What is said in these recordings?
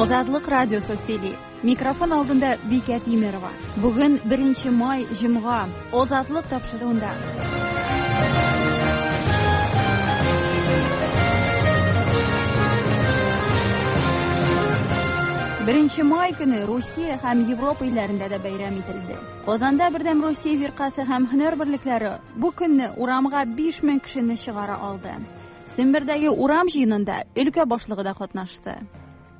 Азатлык радиосы сөйли. Микрофон алдында Бикә Тимерова. Бүген 1 май, җомга. Азатлык тапшыруында. Беренче май көне Русия һәм Европа илләрендә дә бәйрәм ителде. Казанда Бердәм Русия фиркасе һәм һөнәр берлекләре бу көнне урамга 5000 кешене чыгара алды. Сембердәге урам җыенында өлкә башлыгы да катнашты.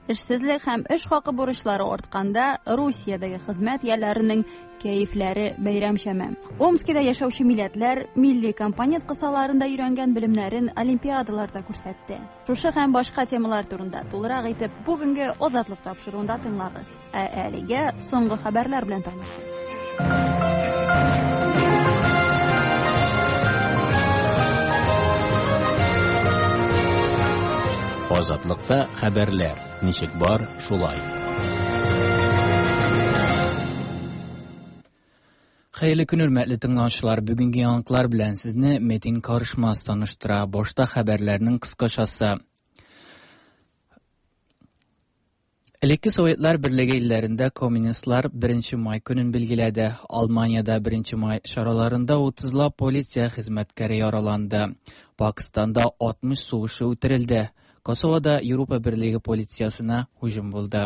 Эшсезлек һәм эш хакы бурычлары артканда Русиядәге хезмәт ияләренең кәефләре бәйрәмчәме. Омскида яшәүче милләтләр милли компонент кысаларында өйрәнгән белемнәрен олимпиадаларда күрсәтте. Шушы һәм башка темалар турында тулырак итеп бүгенге Азатлык тапшыруында тыңлагыз. Ә әлегә соңгы хәбәрләр белән танышыйк. Азатлыкта хәбәрләр ничек бар, шулай. Хәерле көн, хөрмәтле тыңлаучылар. Бүгенге яңалыклар белән сезне Метин Карышмас таныштыра. Башта хәбәрләрнең кыскачасы. Элекке Советлар Берлеге илләрендә коммунистлар 1 май көнен билгеләде. Алманиядә 1 май чараларында 30лап полиция хезмәткәре яраланды. Пакистанда 60 сугышчы үтерелде. Косовода Европа Берлеге полициясенә һөҗүм булды.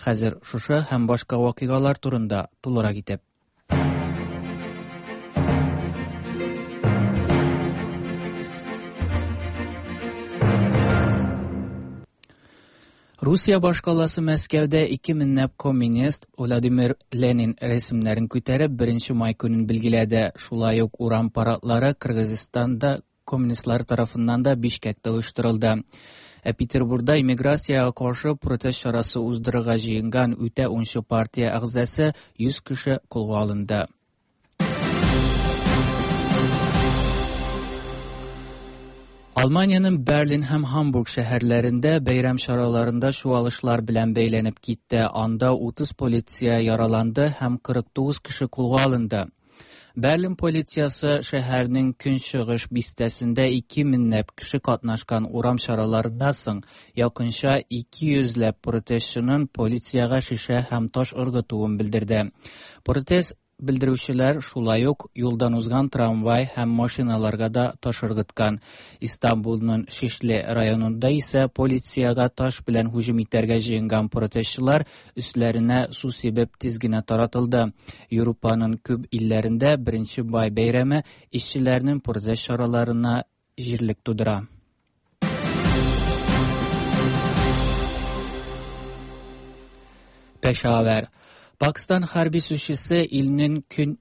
Хәзер шушы һәм башка вакыйгалар турында тулырак итеп. Русия башкаласы Мәскәүдә 2 меңләп коммунист Владимир Ленин рәсемнәрен күтәреп 1 май көнен билгеләде. Шулай ук урам парадлары Кыргызстанда коммунистлар тарафыннан да Бишкекта оештырылды. Ә Петербургда иммиграциягә каршы протест чарасы уздырырга җыенган үтә уңчы партия әгъзасы 100 кеше кулга алынды. Алманиянең Берлин һәм Һамбург шәһәрләрендә бәйрәм чараларында чуалышлар белән бәйләнеп китте. Анда 30 полиция яраланды һәм 49 кеше кулга алынды. Берлин полициясе шәһәрнең көнчыгыш бистәсендә 2 меңләп кеше катнашкан урам чараларыннан соң якынча 200 ләп протестчының полициягә шешә һәм таш ыргытуын белдерде. Протест белдерүчеләр шулай ук юлдан узган трамвай һәм машиналарга да таш ыргыткан. Истанбулның Шишле районында исә полициягә таш белән һөҗүм итәргә җыенган протестчылар өсләренә су сибеп тиз генә таратылды. Европаның күп илләрендә 1 май бәйрәме эшчеләрнең протест чараларына җирлек тудыра. Пешавер. Пакистан хәрби сүзчесе илнең көн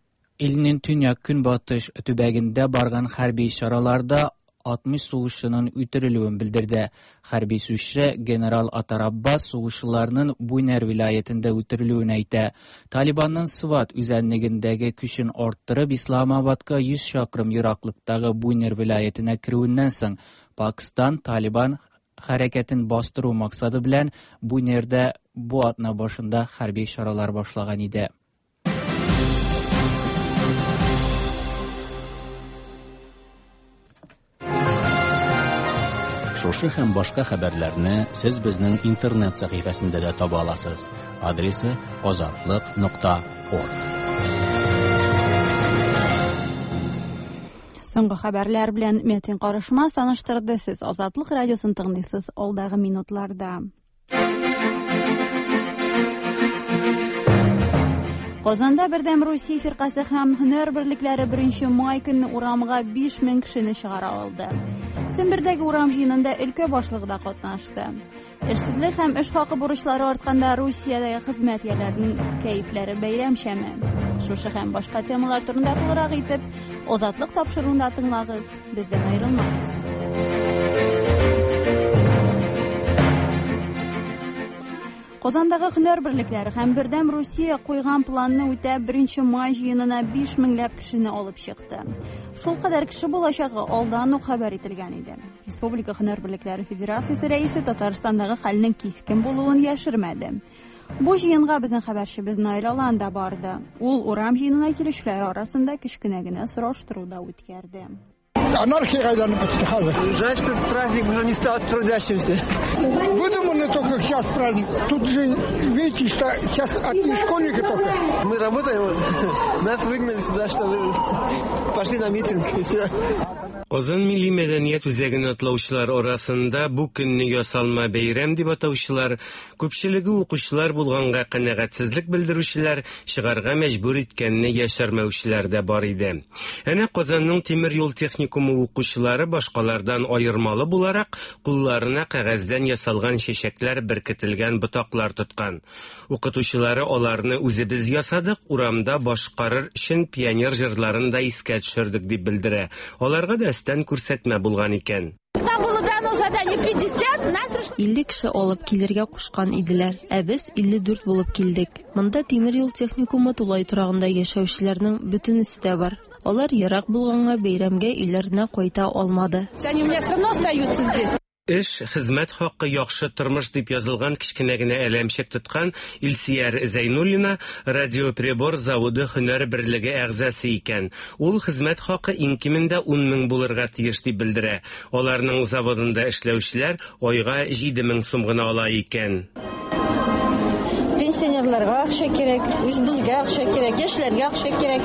илнең төньяк көнбатыш төбәгендә барган хәрби чараларда 60 сугышчының үтерелүен белдерде. Хәрби сүзче генерал Атар Аббас сугышчыларның Буйнер вилаятендә үтерелүен әйтә. Талибанның Сват үзәнлегендәге көчен арттырып Исламабадка 100 чакрым ераклыктагы Буйнер вилаятенә керүеннән соң Пакистан Талибан хәрәкәтен бастыру максаты белән Буйнердә бу атна башында хәрби чаралар башлаган иде. Шушы һәм башка хәбәрләрне сез безнең интернет сәхифәсендә дә таба аласыз. Адресы azatliq.org. Соңгы хәбәрләр белән Метин Карышмас таныштырды. Сез Азатлык радиосын тыңлыйсыз алдагы минутларда. Казанда Бердәм Русия фиркасе һәм һөнәр берлекләре 1 май көнне урамга 5000 кешене чыгара алды. Сембердәге урам җыенында өлкә башлыгы да катнашты. Эшсезлек һәм эш хакы бурычлары артканда Русиядәге хезмәт ияләренең кәефләре бәйрәмчәме? Шушы һәм башка темалар турында тулырак итеп Азатлык тапшыруында тыңлагыз, бездән аерылмагыз. Казандагы һөнәр берлекләре һәм Бердәм Русия куйган планны үтәп 1 май җыенына 5 меңләп кешене алып чыкты. Шул кадәр кеше булачагы алдан ук хәбәр ителгән иде. Республика һөнәр берлекләре федерациясе рәисе Татарстандагы хәлнең кискен булуын яшермәде. Бу җыенга безнең хәбәрчебез Наил Алан да барды. Ул урам җыенына килүчеләр арасында кечкенә генә сораштыру да үткәрде. Анархиягә әйләнеп бетте хәзер. Жаль, что этот праздник уже не стал трудящимся. Выдуманный только сейчас праздник. Тут же, видите, что сейчас одни школьники только. Мы работаем, нас выгнали сюда, чтобы пошли на митинг, и все. Казан милли мәдәният үзәген атлаучылар арасында бу көнне ясалма бәйрәм дип атаучылар, күпчелеге укучылар булганга канәгатьсезлек белдерүчеләр, чыгарга мәҗбүр иткәнне яшермәүчеләр дә бар иде. Әнә Казанның тимер юл техникумы укучылары башкалардан аермалы буларак, кулларына кәгазьдән ясалган чәчәкләр беркетелгән ботаклар тоткан. Укытучылары аларны үзебез ясадык, урамда башкарыр өчен пионер җырларын да искә төшердек дип белдерә. Аларга да өстән күрсәтмә булган икән. Нам было дано задание 50, нас пришло... 50 кеше алып килергә кушкан иделәр, ә без 54 булып килдек. Монда тимер юл техникумы тулай торагында яшәүчеләрнең бөтенесе дә бар. Алар ерак булганга бәйрәмгә өйләренә кайта алмады. Они у меня все равно остаются здесь. Эш, хезмәт хакы, яхшы тормыш дип язылган кечкенә генә әләмчек тоткан Илсияр Зәйнуллина радиоприбор заводы һөнәр берлеге әгъзасы икән. Ул хезмәт хакы иң кимендә 10 мең булырга тиеш дип белдерә. Аларның заводында эшләүчеләр айга 7 мең сум гына ала икән. Пенсионерларга акча кирәк, үз безгә акча кирәк, яшьләргә акча кирәк.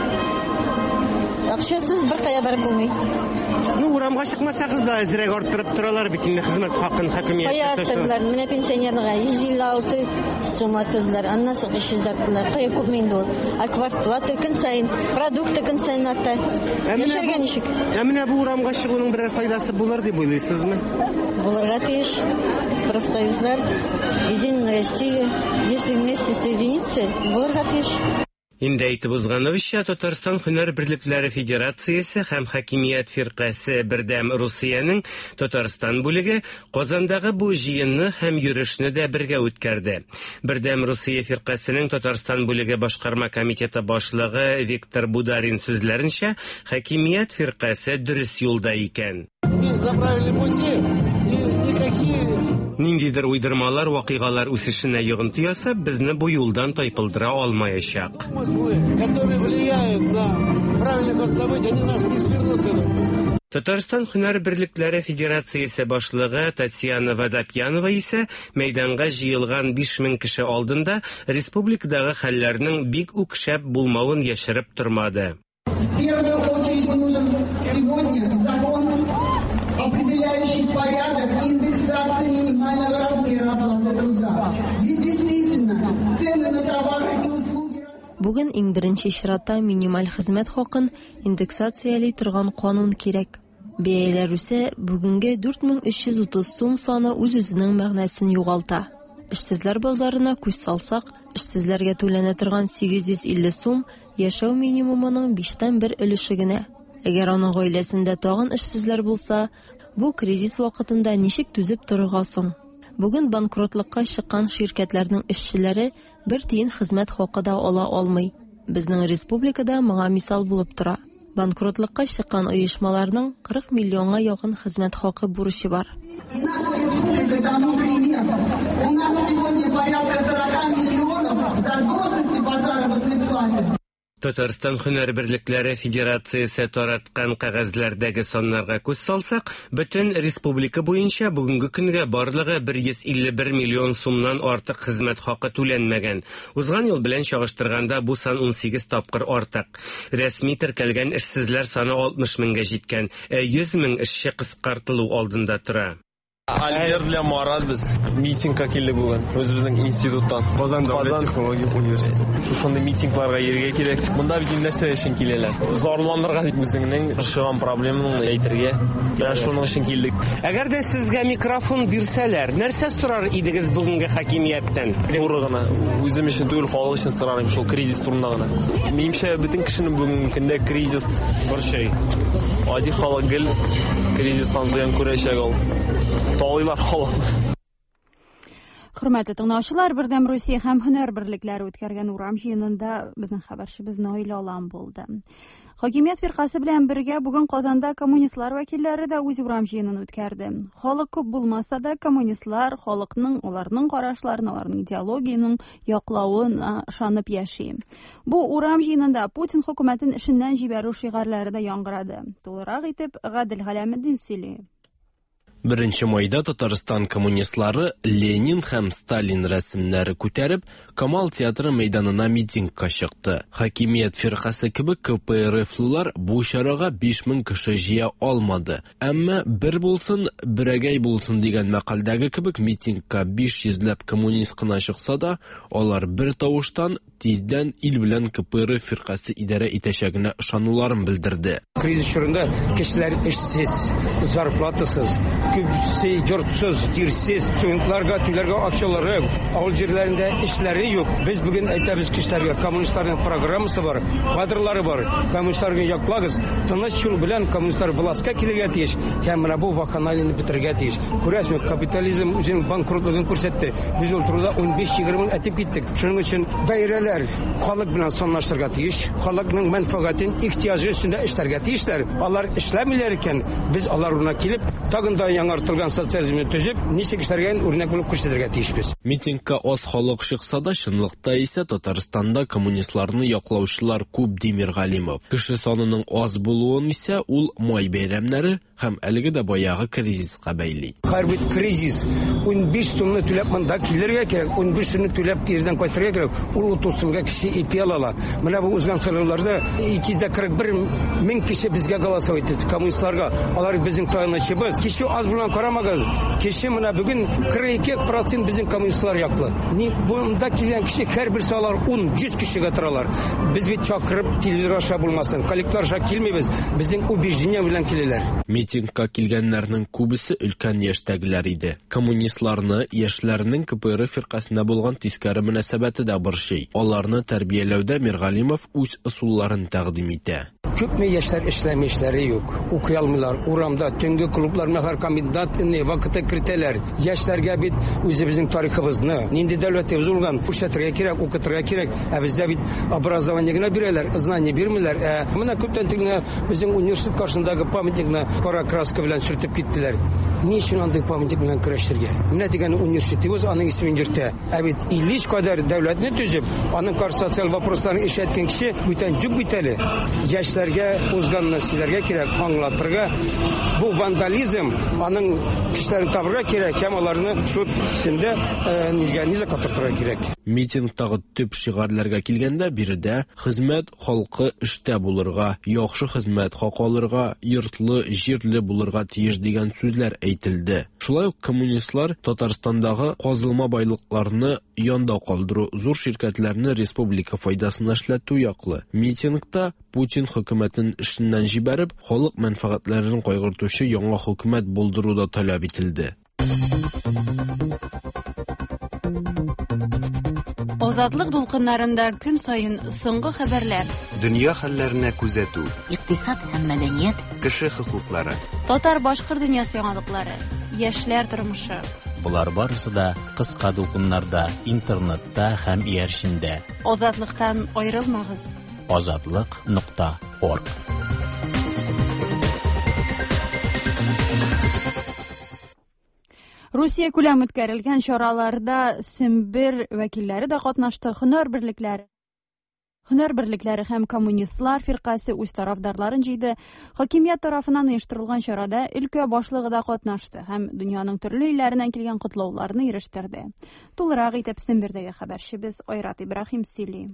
Акчасыз бер кая барып булмый. Ну, урамга чыкмасагыз да әзрәк арттырып торалар бит инде хезмәт хакын хакимият. Кая арттырдылар? Менә пенсионерларга 156 сум арттырдылар, аннан соң 500 арттырдылар. Кая күпме инде ул? А квартплата көн саен, продукты көн саен арта. Яшәргә ничек? Ә менә бу урамга чыгуның берәр файдасы булыр дип уйлыйсызмы? Булырга тиеш. Профсоюзлар, Единая Россия, если вместе соединиться, булырга тиеш. Инде әйтеп узганыбызча, Татарстан һөнәр берлекләре федерациясе һәм хакимият фиркасе Бердәм Русиянең Татарстан бүлеге Казандагы бу җыенны һәм йөрешне дә бергә үткәрде. Бердәм Русия фиркасенең Татарстан бүлеге башкарма комитеты башлыгы Виктор Бударин сүзләренчә, хакимият фиркасе дөрес юлда икән. Мы на правильном пути, и никакие Ниндидер уйдырмалар вакыйгалар үсешенә йогынты ясап, безне бу юлдан тайпылдыра алмаячак. Домыслы, которые влияют на правильный ход событий, они нас не свернут с этого пути. Татарстан һөнәр берлекләре федерациясе башлыгы Татьяна Водопьянова исә мәйданга җыелган 5000 кеше алдында республикадагы хәлләрнең бик үк шәп булмавын яшереп тормады. В первую очередь нужен сегодня закон, определяющий порядок индексации минимального размера оплаты труда. Ведь действительно цены на товары и услуги... Бүген иң беренче чиратта минималь хезмәт хакын индексацияли торган канун кирәк. Бәяләр үсә, бүгенге 4330 сум саны үз-үзенең мәгънәсен югалта. Эшсезләр базарына күз салсак, эшсезләргә түләнә торган 850 сум яшәү минимумының 1/5 өлеше генә. Әгәр аның гаиләсендә тагын эшсезләр булса, бу кризис вакытында ничек түзеп торырга соң? Бүген банкротлыкка чыккан ширкәтләрнең эшчеләре бер тиен хезмәт хакы да ала алмый. Безнең республикада моңа мисал булып тора. Банкротлыкка чыккан оешмаларның 40 миллионга якын хезмәт хакы бурычы бар. И наша республика тому пример. У нас сегодня порядка 40 миллионов задолженности по заработной плате. Татарстан һөнәр берлекләре федерациясе тараткан кәгазьләрдәге саннарга күз салсак, бөтен республика буенча бүгенге көнгә барлыгы 151 миллион сумнан артык хезмәт хакы түләнмәгән. Узган ел белән чагыштырганда бу сан 18 тапкыр артык. Рәсми теркәлгән эшсезләр саны 60 меңгә җиткән, ә 100 мең эшче кыскартылу алдында тора. Альберт белән Марат без митингка килдек бүген, үзебезнең институттан. Казан дәүләт технология университеты. Шушындый митингларга йөрергә кирәк. Монда бит инде нәрсә өчен киләләр? Зарланырга дип үзеңнең борчыган проблемаңны әйтергә. Менә шуның өчен килдек. Әгәр дә сезгә микрофон бирсәләр, нәрсә сорар идегез бүгенге хакимияттән? Туры гына, үзем өчен түгел, халык өчен сорар идем шул кризис турында гына. Минемчә, бөтен кешене бүгенге көндә кризис борчый. Гади халык гел кризистан зыян күрәчәк ул. Талыйлар халыкны. Хөрмәтле тыңлаучылар, Бердәм Русия һәм һөнәр берлекләре үткәргән урам җыенында безнең хәбәрчебез Наил Алан булды. Хакимият фиркасе белән бергә бүген Казанда коммунистлар вәкилләре дә үз урам җыенын үткәрде. Халык күп булмаса да, коммунистлар халыкның, аларның карашларын, аларның идеологиянең яклавын ышанып яши. Бу урам җыенында Путин хөкүмәтен эшеннән җибәрү шигарьләре дә яңгырады. Тулырак итеп Гадел Галәметдин сөйли. Беренче майда Татарстан коммунистлары Ленин һәм Сталин рәсемнәре күтәреп, Камал театры мәйданына митингка чыкты. Хакимият фиркасе кебек КПРФлылар бу чарага 5000 кеше җыя алмады. Әмма бер булсын, берәгәй булсын дигән мәкальдәге кебек митингка 500 ләп коммунист кына чыкса да, алар бер тавыштан тиздән ил белән КПРФ фиркасе идарә итәчәгенә ышануларын белдерде. Кризис чорында кешеләр эшсез, зарплатасыз, күбесе йортсыз, җирсез, студентларга түләргә акчалары юк, авыл җирләрендә эшләре юк. Без бүген әйтәбез кешеләргә, коммунистларның программасы бар, кадрлары бар, коммунистларны яклагыз, тыныч юл белән коммунистлар властька килергә тиеш һәм менә бу вакханалияне бетерергә тиеш. Күрәсезме, капитализм үзенең банкротлыгын күрсәтте. Без ул турыда 15-20 ел әйтеп киттек. Шуның өчен даирәләр халык белән санлаштырырга тиеш, халыкның мәнфәгатен, ихтыяҗы өстендә эшләргә тиешләр. Алар эшләмиләр икән, без алар урынына килеп, тагын да яңартылган социализмны төзеп, ничек эшләргә үрнәк булып күрсәтергә тиешбез. Митингка аз халык чыкса да, чынлыкта исә Татарстанда коммунистларны яклаучылар күп, ди Миргалимов. Кеше санының аз булуын исә ул май бәйрәмнәре, Һәм әлеге дә баягы кризиска бәйли. Хәер бит кризис. 15 сумны түләп монда килергә кирәк, 15 сумны түләп кирдән кайтырга кирәк. Ул 30 сумга кеше ипи ала ала. Менә бу узган сайлауларда 241 мең кеше безгә голосовать итте, коммунистларга. Алар безнең таянычыбыз. Кеше аз булган карамагыз. Кеше менә бүген 42% безнең коммунистлар яклы. Ни монда килгән кеше һәрберсе алар 10, 100 кешегә торалар. Без бит чакырып телевизор аша булмасын, коллектор аша килмибез. Безнең убеждение белән киләләр. Митингка килгәннәрнең күбесе өлкән яшьтәгеләр иде. Коммунистларны яшьләрнең КПРФ фиркасенә булган тискәре мөнәсәбәте дә борчый. Аларны тәрбияләүдә Миргалимов үз ысулларын тәкъдим итә. Күпме яшьләр эшләми, эшләре юк, укый алмыйлар, урамда, төнге клублар менә һәр комендант вакыты кертәләр. Яшьләргә бит үзебезнең тарихыбызны, нинди дәүләтебез булган, күрсәтергә кирәк, укытырга кирәк. Ә бездә бит образование генә бирәләр, знание бирмиләр. Ә менә күптән түгел генә безнең университет каршындагы памятникны кара краска белән сөртеп киттеләр. Ни өчен андый памятник белән көрәшергә? Менә дигән университетыбыз аның исемен йөртә. Ә бит 53 кадәр дәүләтне төзеп, аның каршы социаль вопросларын эшләткән кеше бүтән юк бит әле. Яшьләргә узганны сөйләргә кирәк, аңлатырга. Бу вандализм, аның кешеләрен табырга кирәк һәм аларны суд эшендә э, нигә низа катыртырга кирәк. Митингтагы төп шигарьләргә килгәндә, биредә хезмәт халкы эштә булырга, яхшы хезмәт хакы алырга, йортлы, җирле булырга тиеш дигән сүзләр әйтелде. Шулай ук коммунистлар Татарстандагы казылма байлыкларны янда калдыру, зур ширкәтләрне республика файдасына эшләтү яклы. Митингта Путин хөкүмәтен эшеннән җибәреп, халык мәнфәгатьләрен кайгыртучы яңа хөкүмәт булдыру да таләп ителде. Азатлык дулкыннарында көн саен соңгы хәбәрләр. Дөнья хәлләренә күзәтү. Икътисад һәм мәдәният. Кеше хокуклары. Татар-башкорт дөньясы яңалыклары. Яшьләр тормышы. Болар барысы да кыска дулкыннарда, интернетта һәм иярчендә. Азатлыктан аерылмагыз. Азатлык нокта орг. Русия күләм үткәрелгән чараларда Сембер вәкилләре дә катнашты. Һөнәр берлекләре Һөнәр берлекләре һәм коммунистлар фиркасе үз тарафдарларын җыйды. Хакимият тарафыннан оештырылган чарада өлкә башлыгы да катнашты һәм дөньяның төрле илләреннән килгән котлауларны ирештерде. Тулырак итеп Сембердәге хәбәрчебез Айрат Ибраһим сөйли.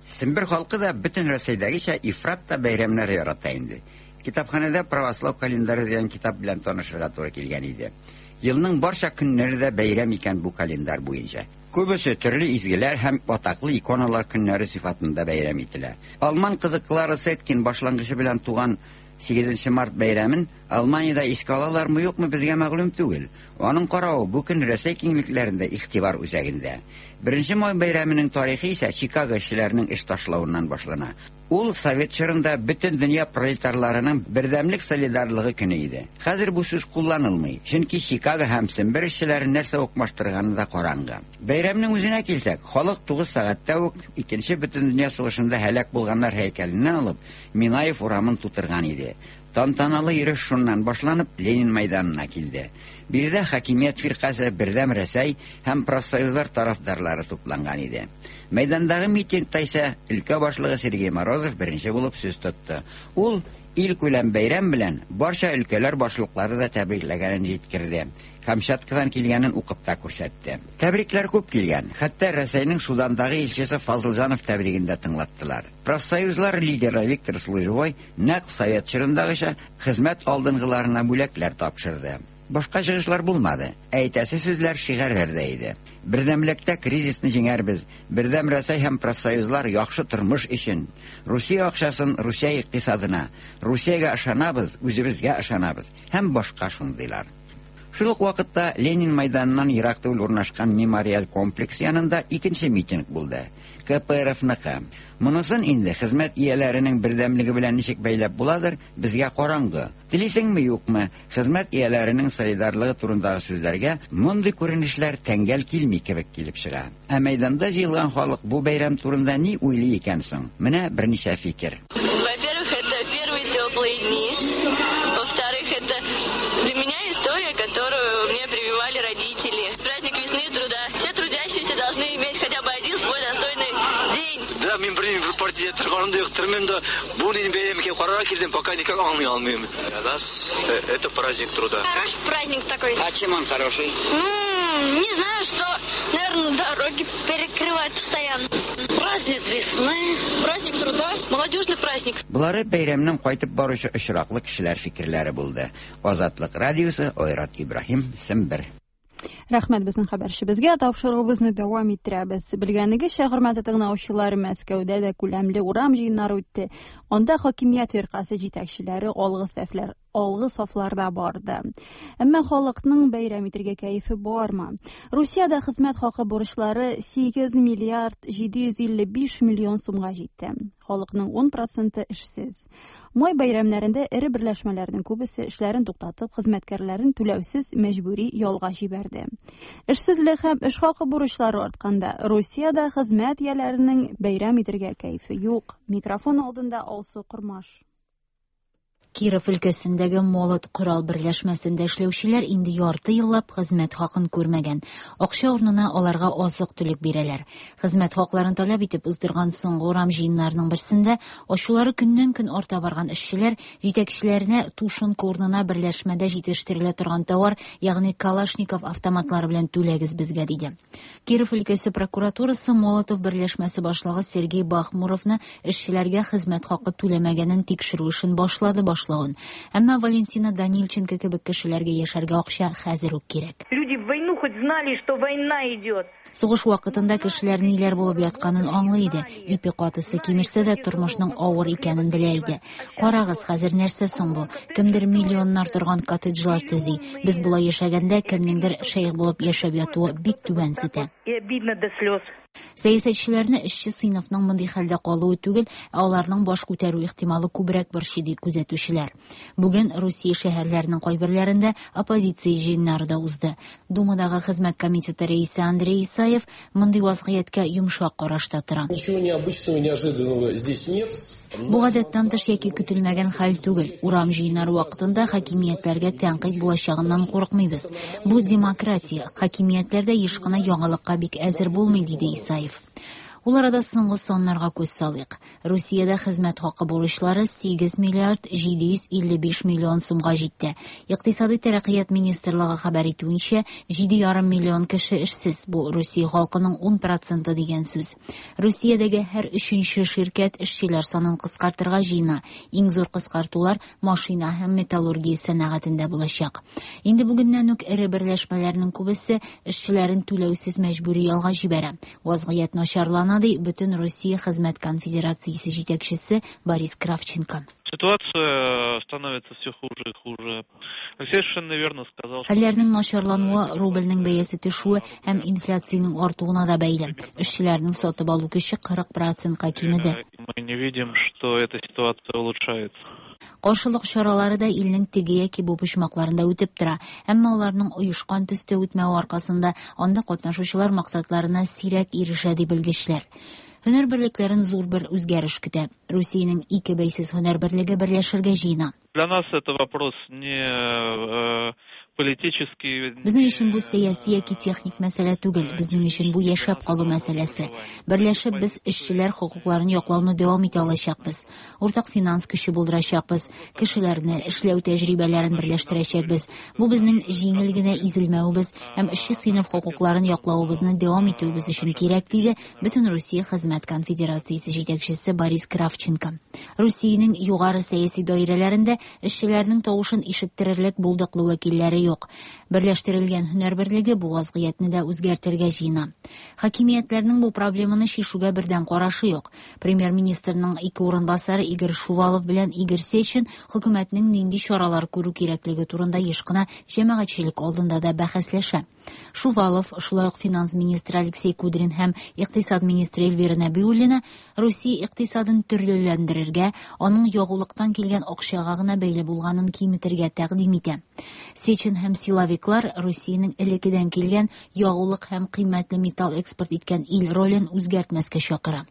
Сембер халкы да бөтен Рәсәйдәгечә ифрат та бәйрәмнәр ярата инде. Китапханәдә Православ календаре дигән китап белән танышырга туры килгән иде. Елның барча көннәре дә бәйрәм икән бу календарь буенча. Күбесе төрле изгеләр һәм атаклы иконалар көннәре сыйфатында бәйрәм ителә. Алман кызы Клара Цеткин башлангычы белән туган 8 март бәйрәмен Алманиядә искә алалармы юкмы безгә мәгълүм түгел. Аның каравы бу көн Рәсәй киңлекләрендә игътибар үзәгендә. 1 май бәйрәменең тарихы исә Чикаго эшчеләренең эш ташлавыннан башлана. Ул совет чорында бөтен дөнья пролетарларының бердәмлек солидарлыгы көне иде. Хәзер бу сүз кулланылмый, чөнки Чикаго һәм Сембер эшчеләрен нәрсә укмаштырганы да караңгы. Бәйрәмнең үзенә килсәк, халык 9 сәгатьтә үк Икенче бөтендөнья сугышында һәлак булганнар һәйкәленнән алып, Минаев урамын тутырган иде. Тантаналы йөреш шуннан башланып, Ленин мәйданына килде. Биредә хакимият фиркасе, Бердәм Рәсәй һәм профсоюзлар тарафдарлары тупланган иде. Мәйдандагы митингта исә өлкә башлыгы Сергей Морозов беренче булып сүз тотты. Ул илкүләм бәйрәм белән барча өлкәләр башлыклары да тәбрикләгәнен җиткерде. Камчаткадан килгәнен укып та күрсәтте. Тәбрикләр күп килгән. Хәтта Рәсәйнең Судандагы илчесе Фазылҗанов тәбриген дә тыңлаттылар. Профсоюзлар лидеры Виктор Служевой нәкъ совет чорындагыча хезмәт алдынгыларына бүләкләр тапшырды. Башка чыгышлар булмады. Әйтәсе сүзләр шигарьләрдә иде. Бердәмлектә кризисны җиңәрбез. Бердәм Рәсәй һәм профсоюзлар яхшы тормыш өчен. Русия акчасын Русия икътисадына. Русиягә ышанабыз, үзебезгә ышанабыз. Һәм башка шундыйлар. Шул ук вакытта Ленин мәйданыннан ерак түгел урнашкан мемориаль комплекс янында икенче митинг булды. КПРФныкы. Монысын инде хезмәт ияләренең бердәмлеге белән ничек бәйләп буладыр, безгә караңгы. Телисеңме, юкмы, хезмәт ияләренең солидарлыгы турындагы сүзләргә мондый күренешләр тәңгәл килми кебек килеп чыга. Ә мәйданда җыелган халык бу бәйрәм турында ни уйлый икән соң? Менә берничә фикер. Во-первых, это первые теплые дни. Во-вторых, это для меня история, которую мне прививали родители. Праздник весны и труда. Все трудящиеся должны иметь хотя бы один свой достойный день. Да, мин бер партия торганым да юк, тормыйм да. Бу нинди бәйрәм икән, карарга килдем, пока никак аңлый алмыйм. Для нас это праздник труда. Хороший праздник такой. А чем он хороший? Ну, не знаю, что, наверное, дороги перекрывают постоянно. Праздник весны, праздник труда, молодежный праздник. Болары бәйрәмнән кайтып баручы очраклы кешеләр фикерләре булды. Азатлык радиосы, Айрат Ибраһим, Сембер. Рәхмәт безнең хәбәрчебезгә. Тапшыруыбызны дәвам иттерәбез. Белгәнегезчә, хөрмәтле тыңлаучылар, Мәскәүдә дә күләмле урам җыеннары үтте. Анда хакимият фиркасе җитәкчеләре алгы сәфләр, алгы сафларда барды. Әмма халыкның бәйрәм итергә кәефе бармы? Русиядә хезмәт хакы бурычлары 8 миллиард 755 миллион сумга җитте. Халыкның 10 проценты эшсез. Май бәйрәмнәрендә эре берләшмәләрнең күбесе эшләрен туктатып, хезмәткәрләрен түләүсез мәҗбүри ялга җибәрде. Эшсезлек һәм эш хакы бурычлары артканда, Русиядә хезмәт ияләренең бәйрәм итергә кәефе юк. Микрофон алдында Алсу Кормаш. Киров өлкәсендәге Молот корал берләшмәсендә эшләүчеләр инде ярты еллап хезмәт хакын күрмәгән. Акча урынына аларга азык-төлек бирәләр. Хезмәт хакларын таләп итеп уздырган соңгы урам җыеннарының берсендә ачулары көннән-көн арта барган эшчеләр җитәкчеләренә тушенка урынына берләшмәдә җитештерелә торган товар, ягъни Калашников автоматлары белән түләгез безгә, диде. Киров өлкәсе прокуратурасы Молотов берләшмәсе башлыгы Сергей Бахмуровны эшчеләргә хезмәт хакы түләмәгәнен тикшерү эшен башлады башлавын. Әмма Валентина Данильченко кебек кешеләргә яшәргә акча хәзер үк кирәк. Люди в войну хоть знали, что война идет. Сугыш вакытында кешеләр ниләр булып ятканын аңлый иде. Ипи катысы кимерсә дә тормышның авыр икәнен белә иде. Карагыз, хәзер нәрсә соң бу? Кемдер миллионнар торган коттеджлар төзи. Без болай яшәгәндә кемнеңдер шәех булып яшәп ятуы бик түбәнсетә. И обидно до слез. Сәясәтчеләрне эшче сыйныфның мондый хәлдә калуы түгел, ә аларның баш күтәрү ихтималы күбрәк борчый, ди күзәтүчеләр. Бүген Русия шәһәрләренең кайберләрендә оппозиция җыеннары да узды. Думадагы хезмәт комитеты рәисе Андрей Исаев мондый вазгыятькә йомшак карашта тора. Ничего необычного, неожиданного здесь нет. Бу гадәттән тыш яки көтелмәгән хәл түгел. Урам җыеннары вакытында хакимиятләргә тәнкыйть булачагыннан курыкмыйбыз. Бу демократия. Хакимиятләр дә еш кына яңалыкка бик әзер булмый, диде Исаев. Ул арада соңгы саннарга күз салыйк. Русиядә хезмәт хакы бурычлары 8 миллиард 755 миллион сумга җитте. Икътисадый тәрәккыят министрлыгы хәбәр итүенчә, 7,5 миллион кеше эшсез. Бу Русия халкының 10 проценты дигән сүз. Русиядәге һәр өченче ширкәт эшчеләр санын кыскартырга җыена. Иң зур кыскартулар машина һәм металлургия сәнәгатендә булачак. Инде бүгеннән үк эре берләшмәләрнең күбесе эшчеләрен түләүсез мәҗбүри ялга җибәрә. Вазгыять начарлана, ди Бөтен Русия хезмәт конфедерациясе җитәкчесе Борис Кравченко. Ситуация становится все хуже и хуже. Алексей совершенно верно сказал, что Хәлләрнең начарлануы рубльнең бәясе төшүе һәм инфляциянең артуына да бәйле. Эшчеләрнең сатып алу көче 40 процентка кимеде. мы не видим, что эта ситуация улучшается. Каршылык чаралары да илнең теге яки бу почмакларында үтеп тора. Әмма аларның оешкан төстә үтмәве аркасында анда катнашучылар максатларына сирәк ирешә, ди белгечләр. Һөнәр берлекләрен зур бер үзгәреш көтә. Русиянең ике бәйсез һөнәр берлеге берләшергә җыена. Для нас это вопрос не э, политический. Безнең өчен бу сәяси яки техник мәсьәлә түгел, безнең өчен бу яшәп калу мәсьәләсе. Берләшеп без эшчеләр хокукларын яклауны дәвам итә алачакбыз. Уртак финанс көче булдырачакбыз, кешеләрне, эшләү тәҗрибәләрен берләштерәчәкбез. Бу безнең җиңел генә изелмәвебез һәм эшче сыйныф хокукларын яклавыбызны дәвам итүебез өчен кирәк, диде Бөтенрусия хезмәт конфедерациясе җитәкчесе Борис Кравченко. Русиянең югары сәяси даирәләрендә эшчеләрнең тавышын ишеттерерлек булдыклы вәкилләре юк. Берләштерелгән һөнәр берлеге бу вазгыятьне дә үзгәртергә җыена. Хакимиятләрнең бу проблеманы чишүгә бердәм карашы юк. Премьер-министрның ике урынбасары Игорь Шувалов белән Игорь Сечин хөкүмәтнең нинди чаралар күрү кирәклеге турында еш кына җәмәгатьчелек алдында да бәхәсләшә. Шувалов, шулай ук финанс министры Алексей Кудрин һәм икътисад министры Эльвира Нәбиуллина Русия икътисадын төрлеләндерергә, аның ягулыктан килгән акчага гына бәйле булганын киметергә тәкъдим итә. Сечин һәм силовиклар Русиянең элеккедән килгән ягулык һәм кыйммәтле металл экспорт иткән ил ролен үзгәртмәскә чакыра.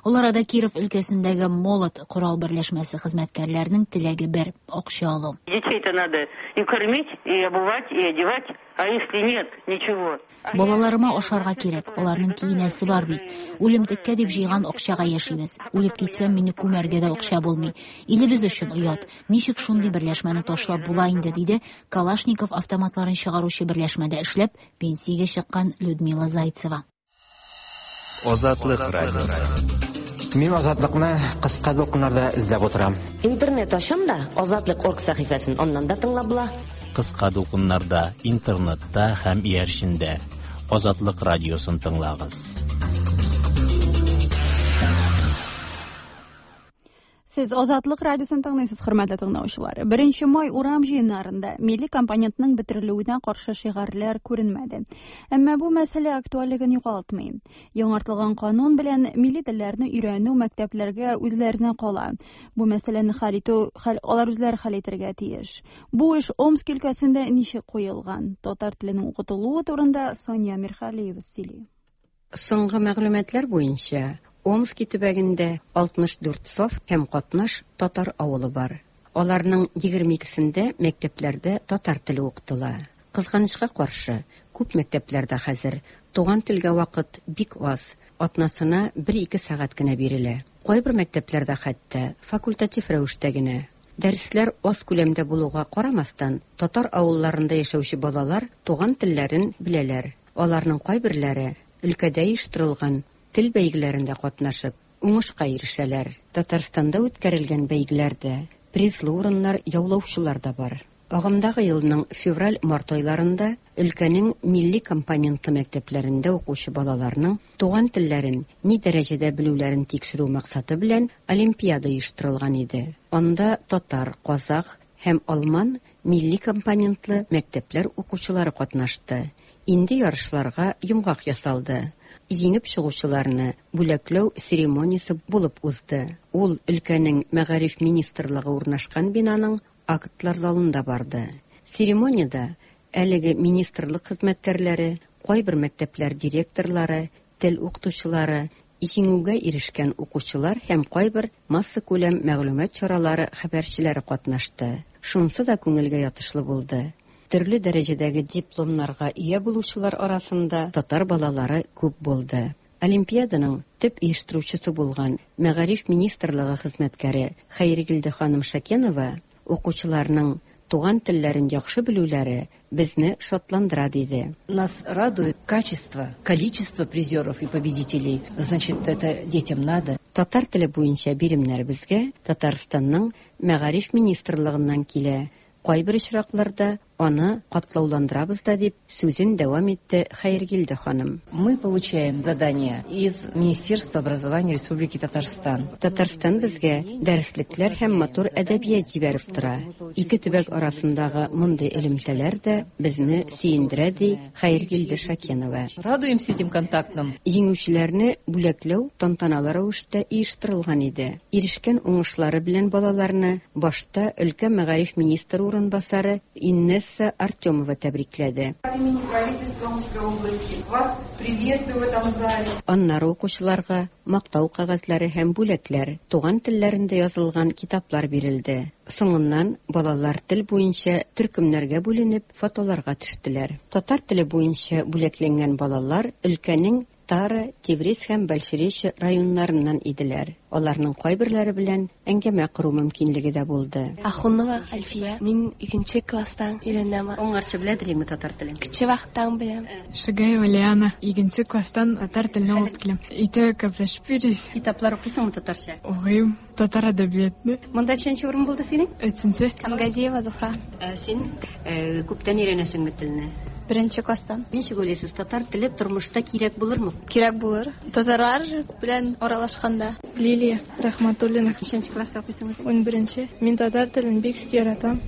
Ул арада Киров өлкәсендәге Молот корал берләшмәсе хезмәткәрләренең теләге бер акча алу. Детей-то надо и кормить, и обувать, и одевать, а если нет, ничего. Балаларыма ашарга кирәк, аларның киенәсе бар бит. Үлемтеккә дип җыйган акчага яшибез. Үлеп китсәм, мине күмәргә дә акча булмый. Илебез өчен оят. Ничек шундый берләшмәне ташлап була инде, диде Калашников автоматларын чыгаручы берләшмәдә эшләп, пенсиягә чыккан Людмила Зайцева. Азатлык радиосы. Мин Азатлыкны кыска дулкыннарда эзләп утырам. Интернет ачам да, Азатлык орг сәхифәсен аннан да тыңлап була. Кыска дулкыннарда, интернетта һәм иярчендә Азатлык радиосын тыңлагыз. Сез Азатлык радиосын тыңлыйсыз, хөрмәтле тыңлаучылар. 1 май урам җыеннарында милли компонентның бетерелүенә каршы шигарьләр күренмәде. Әмма бу мәсьәлә актуальлеген югалтмый. Яңартылган канун белән милли телләрне өйрәнү мәктәпләргә үзләренә кала. Бу мәсьәләне хәл итү хәл алар үзләре хәл итәргә тиеш. Бу эш Омск өлкәсендә ничек куелган? Татар теленең укытылуы турында Сания Мирхалиева сөйли. Соңгы мәгълүматлар буенча, Омски төбәгендә 64 саф һәм катнаш татар авылы бар. Аларның 22сендә мәктәпләрдә татар теле укытыла. Кызганычка каршы, күп мәктәпләрдә хәзер туган телгә вакыт бик аз, атнасына 1-2 сәгать кенә бирелә. Кайбер мәктәпләрдә хәтта факультатив рәвештә генә. Дәресләр аз күләмдә булуга карамастан, татар авылларында яшәүче балалар туган телләрен беләләр. Аларның кайберләре өлкәдә оештырылган тел бәйгеләрендә катнашып, уңышка ирешәләр. Татарстанда үткәрелгән бәйгеләрдә призлы урыннар яулаучылар да бар. Агымдагы елның февраль-март айларында өлкәнең милли компонентлы мәктәпләрендә укучы балаларның туган телләрен ни дәрәҗәдә белүләрен тикшерү максаты белән олимпиада оештырылган иде. Анда татар, казах һәм алман милли компонентлы мәктәпләр укучылары катнашты. Инде ярышларга йомгак ясалды. Җиңеп чыгучыларны бүләкләү церемониясе булып узды. Ул өлкәнең мәгариф министрлыгы урнашкан бинаның актлар залында барды. Церемониядә әлеге министрлык хезмәткәрләре, кайбер мәктәпләр директорлары, тел укытучылары, җиңүгә ирешкән укучылар һәм кайбер массакүләм мәгълүмат чаралары хәбәрчеләре катнашты. Шунысы да күңелгә ятышлы булды. Төрле дәрәҗәдәге дипломнарга ия булучылар арасында татар балалары күп булды. Олимпиаданың төп оештыручысы булган Мәгариф министрлыгы хезмәткәре Хәйригилде ханым Шакенова укучыларның туган телләрен яхшы белүләре безне шатландыра диде. Нас радует качество, количество призеров и победителей. Значит, это детям надо. Татар теле буенча биремнәр безгә Татарстанның Мәгариф министрлыгыннан килә. Кайбер очракларда Аны катлауландырабыз да, дип сүзен дәвам итте Хәергилде ханым. Мы получаем задание из Министерства образования Республики Татарстан. Татарстан безгә дәреслекләр һәм матур әдәбият җибәреп тора. Ике төбәк арасындагы мондый элемтәләр дә безне сөендерә, ди Хәергилде Шакенова. Радуемся этим контактам. Җиңүчеләрне бүләкләү тантаналы рәвештә оештырылган иде. Ирешкән уңышлары белән балаларны башта өлкә мәгариф министры урынбасары Иннесса Артемова тәбрикләде. От имени правительства Омской области вас приветствую в этом зале. Аннары укучыларга мактау кәгазьләре һәм бүләкләр, туган телләрендә язылган китаплар бирелде. Соңыннан балалар тел буенча төркемнәргә бүленеп, фотоларга төштеләр. Татар теле буенча бүләкләнгән балалар өлкәнең Тара, Тевриз һәм Большеречье районнарыннан иделәр. Аларның кайберләре белән әңгәмә кору мөмкинлеге дә булды. Ахунова Альфия. Мин икенче класстан өйрәнәм. Аңарчы белә идеңме татар телен? Кече вакыттан беләм. Шигаева Лиана. Икенче класстан татар телен алып киләм. Өйдә гәпләшеп йөрибез. Китаплар укыйсыңмы татарча? Укыйм. Татар әдәбиятны. Монда ничәнче урын булды синең? Өченче. Камгазиева Зуфра. Ә син күптән өйрәнәсеңме телне? Беренче класстан. Ничек уйлыйсыз, татар теле тормышта кирәк булырмы? Кирәк булыр. Татарлар белән аралашканда. Лилия Рахматуллина. Ничәнче класста укыйсың үзең? 11-нче. Мин татар телен бик яратам.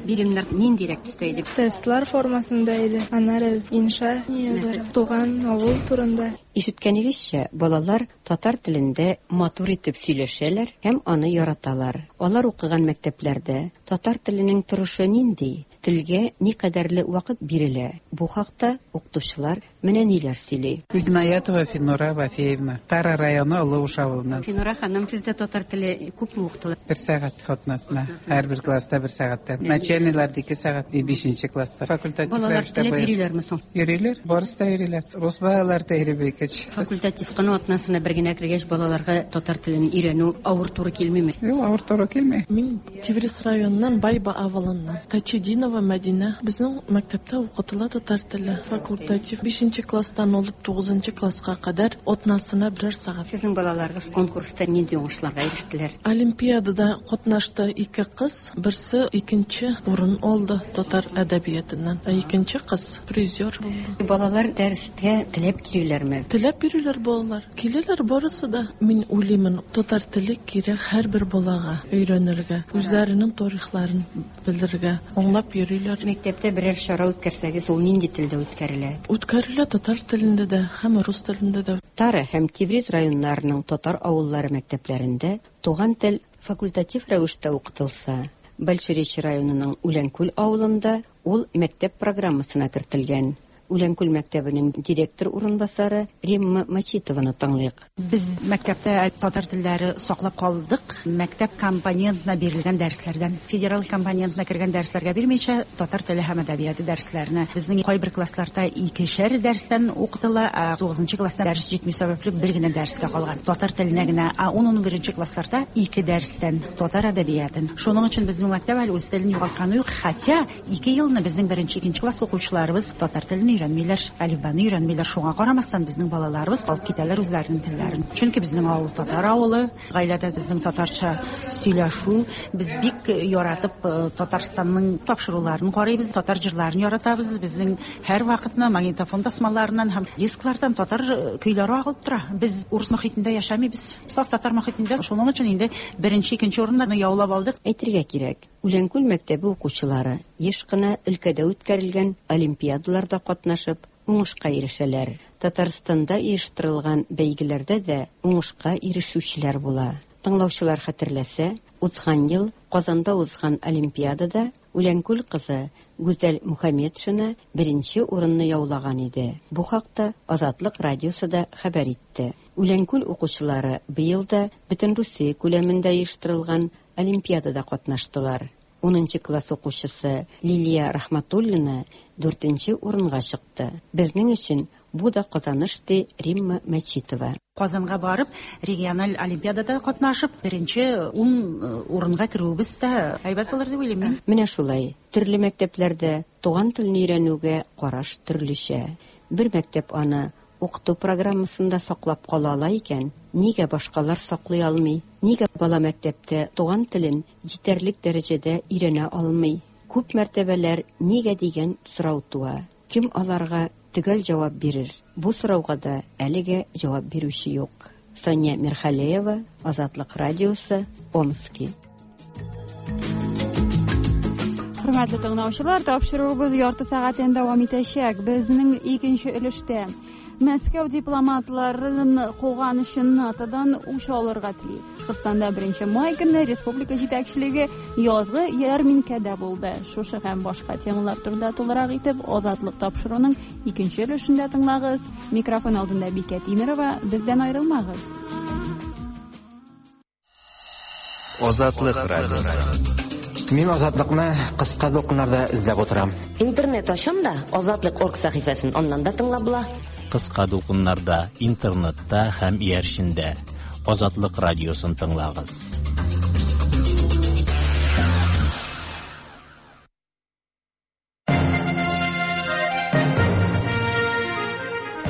Биремнәр ниндирәк төстә иде? Тестлар формасында иде. Аннары инша язарга. Туган авыл турында. Ишеткәнегезчә, балалар татар телендә матур итеп сөйләшәләр һәм аны яраталар. Алар укыган мәктәпләрдә татар теленең торышы нинди? Телгә никадәрле вакыт бирелә? Бу хакта укытучылар менә ниләр сөйли. Игнаятова Финура Вафеевна, Тара районы Олы Уш авылыннан. Финура ханым, сездә татар теле күпме укытыла? Бер сәгать атнасына. Һәрбер класста бер сәгатьтән. Начальныйлар ике сәгать, и бишенче класста. Факультатив Балалар рәвештә теләп быел. йөриләрме соң? Йөриләр, барысы да йөриләр. Рус балалар да йөри бик. Факультатив кына атнасына бер генә кергәч, балаларга татар телен өйрәнү авыр туры килмиме? Юк, авыр туры килми. Мин Тевриз районыннан Байба авылыннан. Тачединова Мәдинә. Безнең мәктәптә укытыла татар теле. Факультатив 5 класстан алып 9 класска кадәр атнасына берәр сәгать. Сезнең балаларыгыз конкурста нинди уңышларга ирештеләр? Олимпиадада катнашты ике кыз, берсе икенче урын алды татар әдәбиятыннан, ә икенче кыз призер булды. Балалар дәрескә теләп килүләрме? Теләп йөриләр балалар. Киләләр барысы да. Мин уйлыймын, татар теле кирәк һәрбер балага өйрәнергә, үзләренең тарихларын белергә, аңлап йөриләр. Мәктәптә берәр чара үткәрсәгез, ул нинди телдә үткәрелә? Үткәрелә татар телендә дә һәм рус телендә дә. Тара һәм Тевриз районнарының татар авыллары мәктәпләрендә туган тел факультатив рәвештә укытылса, Большеречье районының Үләнкүл авылында ул мәктәп программасына кертелгән. Үләнкүл мәктәбенең директор урынбасары Римма Мачитованы тыңлыйк. Без мәктәптә татар телләре саклап калдык. Мәктәп компонентына бирелгән дәресләрдән, федераль компонентына кергән дәресләргә бирмичә, татар теле һәм әдәбияты дәресләренә. Безнең кайбер классларда икешәр дәрестән укытыла, ә 9 класста дәрес җитми сәбәпле бер генә дәрескә калган. Татар теленә генә, ә 10-11 классларда ике дәрестән татар әдәбиятын. Шуның өчен безнең мәктәп әле үз телен югалтканы юк, хотя ике елны безнең беренче, икенче класс укучыларыбыз татар телен өйрәнмиләр, әлифбаны өйрәнмиләр. Шуңа карамастан безнең балаларыбыз алып китәләр үзләренең телләрен. Чөнки безнең авыл татар авылы, гаиләдә безнең татарча сөйләшү, без бик яратып Татарстанның тапшыруларын карыйбыз, татар җырларын яратабыз. Безнең һәр вакытны магнитофон тасмаларыннан һәм дисклардан татар көйләре агылып тора. Без урыс мохитендә яшәмибез. Саф татар мохитендә. Шуның өчен инде беренче, икенче урыннарны яулап алдык. Әйтергә кирәк, Үләнкүл мәктәбе укучылары еш кына өлкәдә үткәрелгән олимпиадаларда катнашып, уңышка ирешәләр. Татарстанда оештырылган бәйгеләрдә дә уңышка ирешүчеләр була. Тыңлаучылар хәтерләсә, узган ел Казанда узган олимпиадада Үләнкүл кызы Гүзәл Мухаметшина беренче урынны яулаган иде. Бу хакта Азатлык радиосы да хәбәр итте. Үләнкүл укучылары быел да Бөтенрусия күләмендә оештырылган олимпиадада катнаштылар. 10 класс укучысы Лилия Рахматуллина 4 урынга чыкты. Безнең өчен бу да казаныш, ди Римма Мәчитова. Казанга барып, региональ олимпиадада катнашып, беренче 10 урынга керүебез дә әйбәт булыр дип уйлыйм мин. Менә шулай, төрле мәктәпләрдә туган телне өйрәнүгә караш төрлечә. Бер мәктәп аны укыту программасында саклап кала ала икән, нигә башкалар саклый алмый? Нигә бала мәктәптә туган телен җитәрлек дәрәҗәдә өйрәнә алмый? Күп мәртәбәләр нигә дигән сорау туа. Кем аларга төгәл җавап бирер? Бу сорауга да әлегә җавап бирүче юк. Сания Мирхалеева, Азатлык радиосы, Омски. Хөрмәтле тыңлаучылар, тапшыруыбыз ярты сәгатьтән дәвам итәчәк. Безнең икенче өлештә Мәскәү дипломатларын куган өчен НАТОдан үч алырга тели. Башкортстанда 1 май көнне республика җитәкчелеге язгы ярминкәдә булды. Шушы һәм башка темалар турында тулырак итеп Азатлык тапшыруның икенче өлешендә тыңлагыз. Микрофон алдында Бикә Тимерова, бездән аерылмагыз. Азатлык радиосы. Мин Азатлыкны кыска дулкыннарда эзләп утырам. Интернет ачам да, Азатлык орг сәхифәсен аннан да тыңлап була. Кыска дулкыннарда, интернетта һәм иярчендә. Азатлык радиосын тыңлагыз.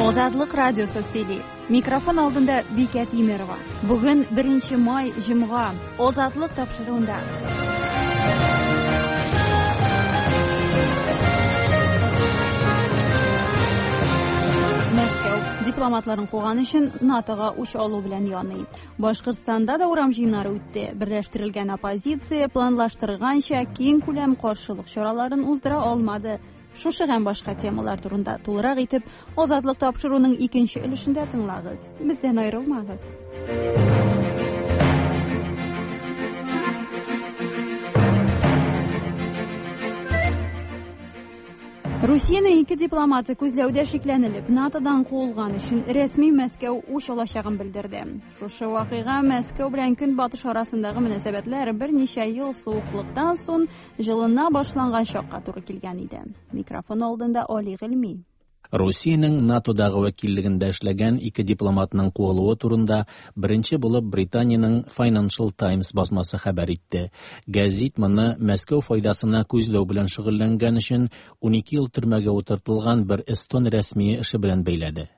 Азатлык радиосы сөйли. Микрофон алдында Бикә Тимерова. Бүген 1 май, җомга. Азатлык тапшыруында. Мәскәү дипломатларын куган өчен НАТОга үч алу белән яный. Башкортстанда да урам җыеннары үтте. Берләштерелгән оппозиция планлаштырганча киң күләм каршылык чараларын уздыра алмады. Шушы һәм башка темалар турында тулырак итеп Азатлык тапшыруның икенче өлешендә тыңлагыз. Бездән аерылмагыз. Русиянең ике дипломаты күзләүдә шикләнелеп, НАТОдан куылган өчен рәсми Мәскәү үч алачагын белдерде. Шушы вакыйга Мәскәү белән Көнбатыш арасындагы мөнәсәбәтләр берничә ел суыклыктан соң җылына башланган чакка туры килгән иде. Микрофон алдында Али Гыйльми. Русиянең НАТОдагы вәкиллегендә эшләгән ике дипломатның куылуы турында беренче булып Британиянең Financial Times басмасы хәбәр итте. Гәзит моны Мәскәү файдасына күзләү белән шөгыльләнгән өчен 12 ел төрмәгә утыртылган бер эстон рәсмие эше белән бәйләде.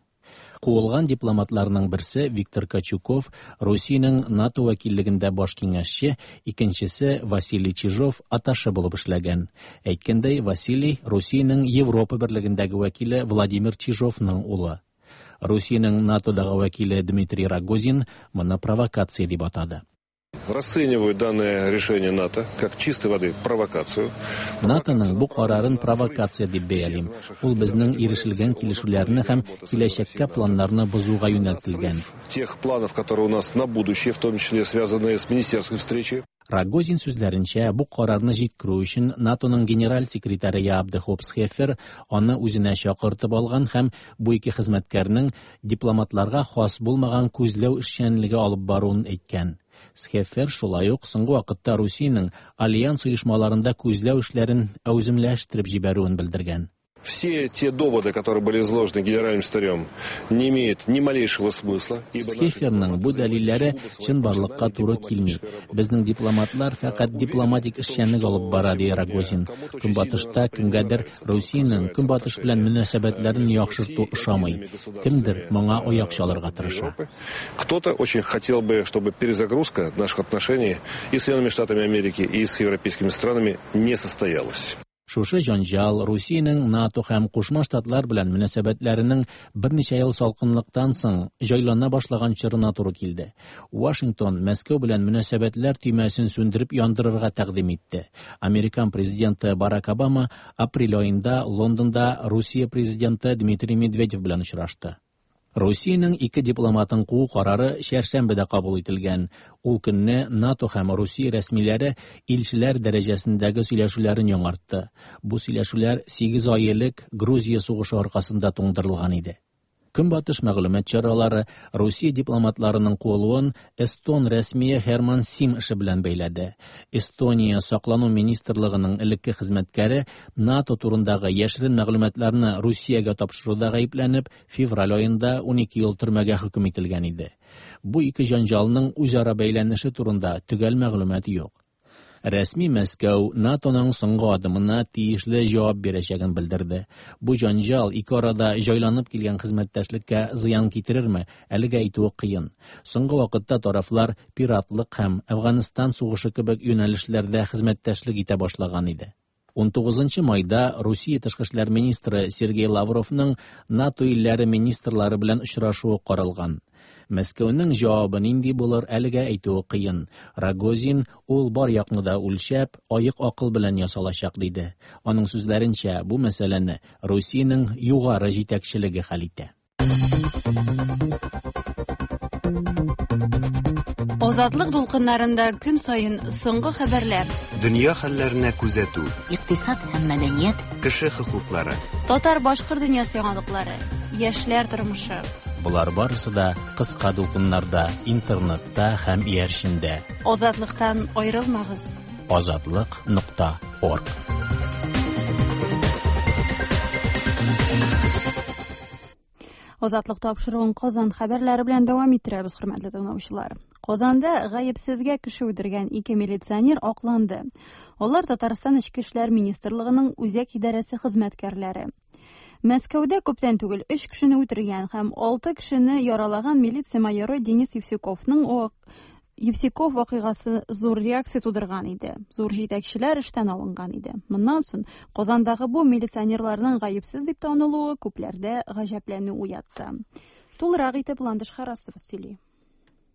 Куылган дипломатларның берсе Виктор Качуков Русиянең НАТО вәкиллегендә баш киңәшче, икенчесе Василий Чижов атташе булып эшләгән. Әйткәндәй, Василий Русиянең Европа берлегендәге вәкиле Владимир Чижовның улы. Русиянең НАТОдагы вәкиле Дмитрий Рогозин моны провокация дип атады. Расцениваю данное решение НАТО как чистой воды провокацию. НАТОның бу карарын провокация дип бәялим. Ул безнең ирешелгән килешүләрне һәм киләчәккә планнарны бозуга юнәлтелгән. Тех планов, которые у нас на будущее, в том числе связанные с министерской встречей. Рогозин сүзләренчә, бу карарны җиткерү өчен НАТОның генераль секретаре Яап де Хоп Схеффер аны үзенә чакыртып алган һәм бу ике хезмәткәрнең дипломатларга хас булмаган күзләү эшчәнлеге алып баруын әйткән. Схеффер шулай ук соңгы вакытта Русиянең альянс оешмаларында күзләү эшләрен әүземләштереп җибәрүен белдергән. Все те доводы, которые были изложены генеральным секретарем, не имеют ни малейшего смысла. Схефферның бу дәлилләре чынбарлыкка туры килми. Безнең дипломатлар фәкать дипломатик эшчәнлек алып бара, ди Рогозин. Көнбатышта кемгәдер Русиянең Көнбатыш белән мөнәсәбәтләрен яхшырту ошамый. Кемдер моңа аяк чалырга тырыша. Кто-то очень хотел бы, чтобы перезагрузка наших отношений и с Соединенными Штатами Америки, и с европейскими странами не состоялась. Шушы җанҗал Русиянең НАТО һәм Кушма Штатлар белән мөнәсәбәтләренең берничә ел салкынлыктан соң җайлана башлаган чорына туры килде. Вашингтон Мәскәү белән мөнәсәбәтләр төймәсен сүндереп яндырырга тәкъдим итте. Американ президенты Барак Обама апрель аенда Лондонда Русия президенты Дмитрий Медведев белән очрашты. Русиянең ике дипломатын куу карары чәршәмбедә кабул ителгән. Ул көнне НАТО һәм Русия рәсмиләре илчеләр дәрәҗәсендәге сөйләшүләрен яңартты. Бу сөйләшүләр 8 ай элек Грузия сугышы аркасында туңдырылган иде. Көнбатыш мәгълүмат чаралары Русия дипломатларының куылуын эстон рәсмие Херман Сим эше белән бәйләде. Эстония саклану министрлыгының элекке хезмәткәре НАТО турындагы яшерен мәгълүматларны Русиягә тапшыруда гаепләнеп, февраль аенда 12 ел төрмәгә хөкем ителгән иде. Бу ике җанҗалның үзара бәйләнеше турында төгәл мәгълүмат юк. Рәсми Мәскәү НАТОның соңгы адымына тиешле җавап бирәчәген белдерде. Бу җанҗал ике арада җайланып килгән хезмәттәшлеккә зыян китерерме, әлегә әйтүе кыен. Соңгы вакытта тарафлар пиратлык һәм Әфганстан сугышы кебек юнәлешләрдә хезмәттәшлек итә башлаган иде. 19 майда Русия тышкы эшләр министры Сергей Лавровның НАТО илләре министрлары белән очрашуы каралган. Мәскәүнең җавабы нинди булыр, әлегә әйтүе кыен. Рогозин ул бар якны да үлчәп, аек акыл белән ясалачак диде. Аның сүзләренчә, бу мәсьәләне Русиянең югары җитәкчелеге хәл итә. Азатлык дулкыннарында көн саен соңгы хәбәрләр. Дөнья хәлләренә күзәтү. Икътисад һәм мәдәният. Кеше хокуклары. Татар-башкорт дөньясы яңалыклары. Яшьләр тормышы. Болар барысы да кыска дулкыннарда, интернетта һәм иярчендә. Азатлыктан аерылмагыз. Азатлык нокта орг. Азатлык тапшыруын Казан хәбәрләре белән дәвам иттерәбез, хөрмәтле тыңлаучылар. Казанда гаепсезгә кеше үтергән ике милиционер акланды. Алар Татарстан Эчке эшләр министрлыгының үзәк идарәсе хезмәткәрләре. Мәскәүдә күптән түгел өч кешене үтергән һәм алты кешене яралаган милиция майоры Денис Евсюковның Евсюков вакыйгасы зур реакция тудырган иде. Зур җитәкчеләр эштән алынган иде. Моннан соң Казандагы бу милиционерларның гаепсез дип танылуы күпләрдә гаҗәпләнү уятты. Тулырак итеп Ландыш Харасова сөйли.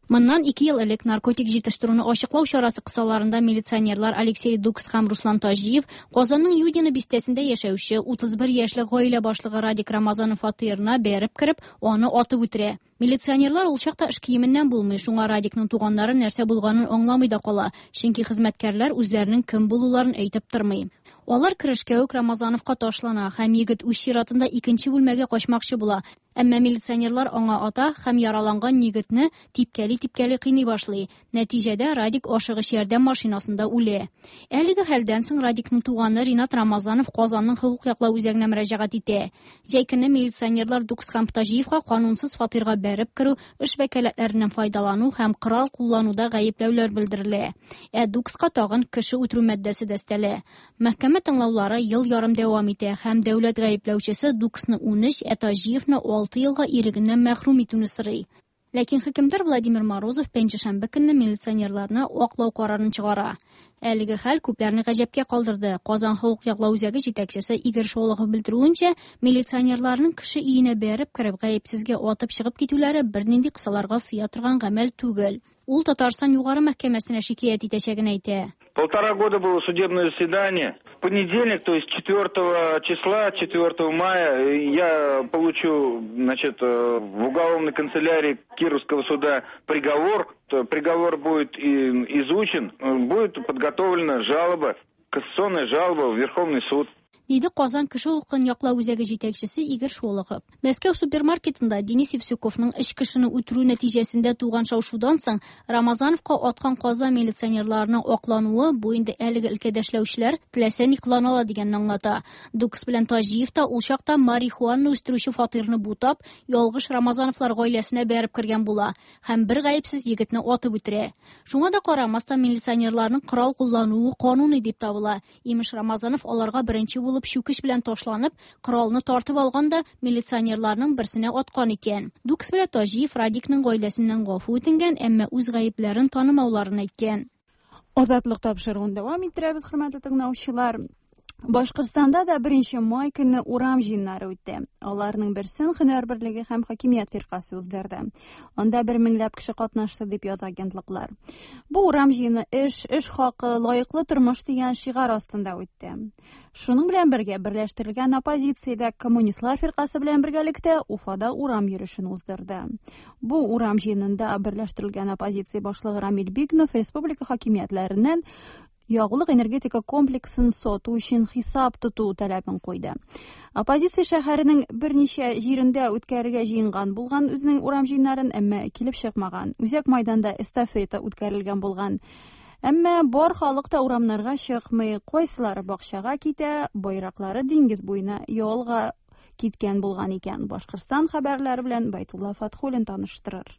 Моннан 2 ел элек наркотик җитештерүне ачыклау чарасы кысаларында милиционерлар Алексей Дукс һәм Руслан Таҗиев Казанның Юдино бистәсендә яшәүче 31 яшьлек гаилә башлыгы Радик Рамазанов фатирына бәреп кереп, аны атып үтерә. Милиционерлар ул чакта эш киеменнән булмый, шуңа Радикның туганнары нәрсә булганын аңламый да кала, чөнки хезмәткәрләр үзләренең кем булуларын әйтеп тормый. Алар керешкә үк Рамазановка ташлана һәм егет үз чиратында икенче бүлмәгә качмакчы була. Әмма милиционерлар аңа ата һәм яраланган егетне типкәли-типкәли кыйный башлый. Нәтиҗәдә Радик ашыгыч ярдәм машинасында үлә. Әлеге хәлдән соң Радикның туганы Ринат Рамазанов Казанның хокук яклау үзәгенә мөрәҗәгать итә. Җәй көне милиционерлар Дукс һәм Таҗиевка канунсыз фатирга бәреп керү, эш вәкаләтләреннән файдалану һәм корал куллануда гаепләүләр белдерелә. Ә Дукска тагын кеше үтерү маддәсе дә өстәлә. Мәхкәмә тыңлаулары ел ярым дәвам итә һәм дәүләт гаепләүчесе Дуксны 13, ә Таҗиевны 6 елга ирегеннән мәхрүм итүне сорый. Ләкин хөкемдар Владимир Морозов пәнҗешәмбе көнне милиционерларны аклау карарын чыгара. Әлеге хәл күпләрне гаҗәпкә калдырды. Казан хокук яклау үзәге җитәкчесе Игорь Шолохов белдерүенчә, милиционерларның кеше өенә бәреп кереп гаепсезгә атып чыгып китүләре бернинди кысаларга сыя торган гамәл түгел. Ул Татарстан югары мәхкәмәсенә шикаять итәчәген әйтә. 1,5 года было судебное заседание. В понедельник, то есть 4 числа, 4 мая, я получу, значит, в уголовной канцелярии Кировского суда приговор. Приговор будет изучен, будет подготовлена жалоба, кассационная жалоба в Верховный суд. Диде Казан кеше хокукын яклау үзәге җитәкчесе Игорь Шолохов. Мәскәү супермаркетында Денис Евсюковның өч кешене үтерү нәтиҗәсендә туган шау-шудан соң Рамазановка аткан Казан милиционерларының аклануы бу инде әлеге өлкәдә эшләүчеләр теләсә ни кылана ала дигәнне аңлата. Дукс белән Таҗиев та ул чакта марихуана үстерүче фатирны бутап, ялгыш Рамазановлар гаиләсенә бәреп кергән була һәм бер гаепсез егетне атып үтерә. Шуңа да карамастан милиционерларның корал куллануы кануни дип табыла. Имеш, Рамазанов аларга беренче булып чүкеч белән ташланып, коралны тартып алган да милиционерларның берсенә аткан икән. Дукс белән Таҗиев Радикның гаиләсеннән гафу үтенгән, әмма үз гаепләрен танымауларын әйткән. Азатлык тапшыруын дәвам иттерәбез, хөрмәтле тыңлаучылар. Башкортстанда да 1 май көнне урам җыеннары үтте. Аларның берсен Һөнәр берлеге һәм хакимият фиркасе уздырды. Анда бер меңләп кеше катнашты дип яза агентлыклар. Бу урам җыены эш, эш хакы, лаеклы тормыш дигән шигарь астында үтте. Шуның белән бергә берләштерелгән оппозициядә Коммунистлар фиркасе белән бергәлектә Уфада урам йөрешен уздырды. Бу урам җыенында берләштерелгән оппозиция башлыгы Рамил Бигнов республика хакимиятләреннән ягулык энергетика комплексын сату өчен хисап тоту таләбен куйды. Оппозиция шәһәренең берничә җирендә үткәрергә җыенган булган үзенең урам җыеннарын, әмма килеп чыкмаган. Үзәк майданда эстафета үткәрелгән булган. Әмма бар халык та урамнарга чыкмый, кайсылары бакчага китә, байраклары диңгез буена ялга киткән булган икән. Башкортстан хәбәрләре белән Байтулла Фатхуллин таныштырыр.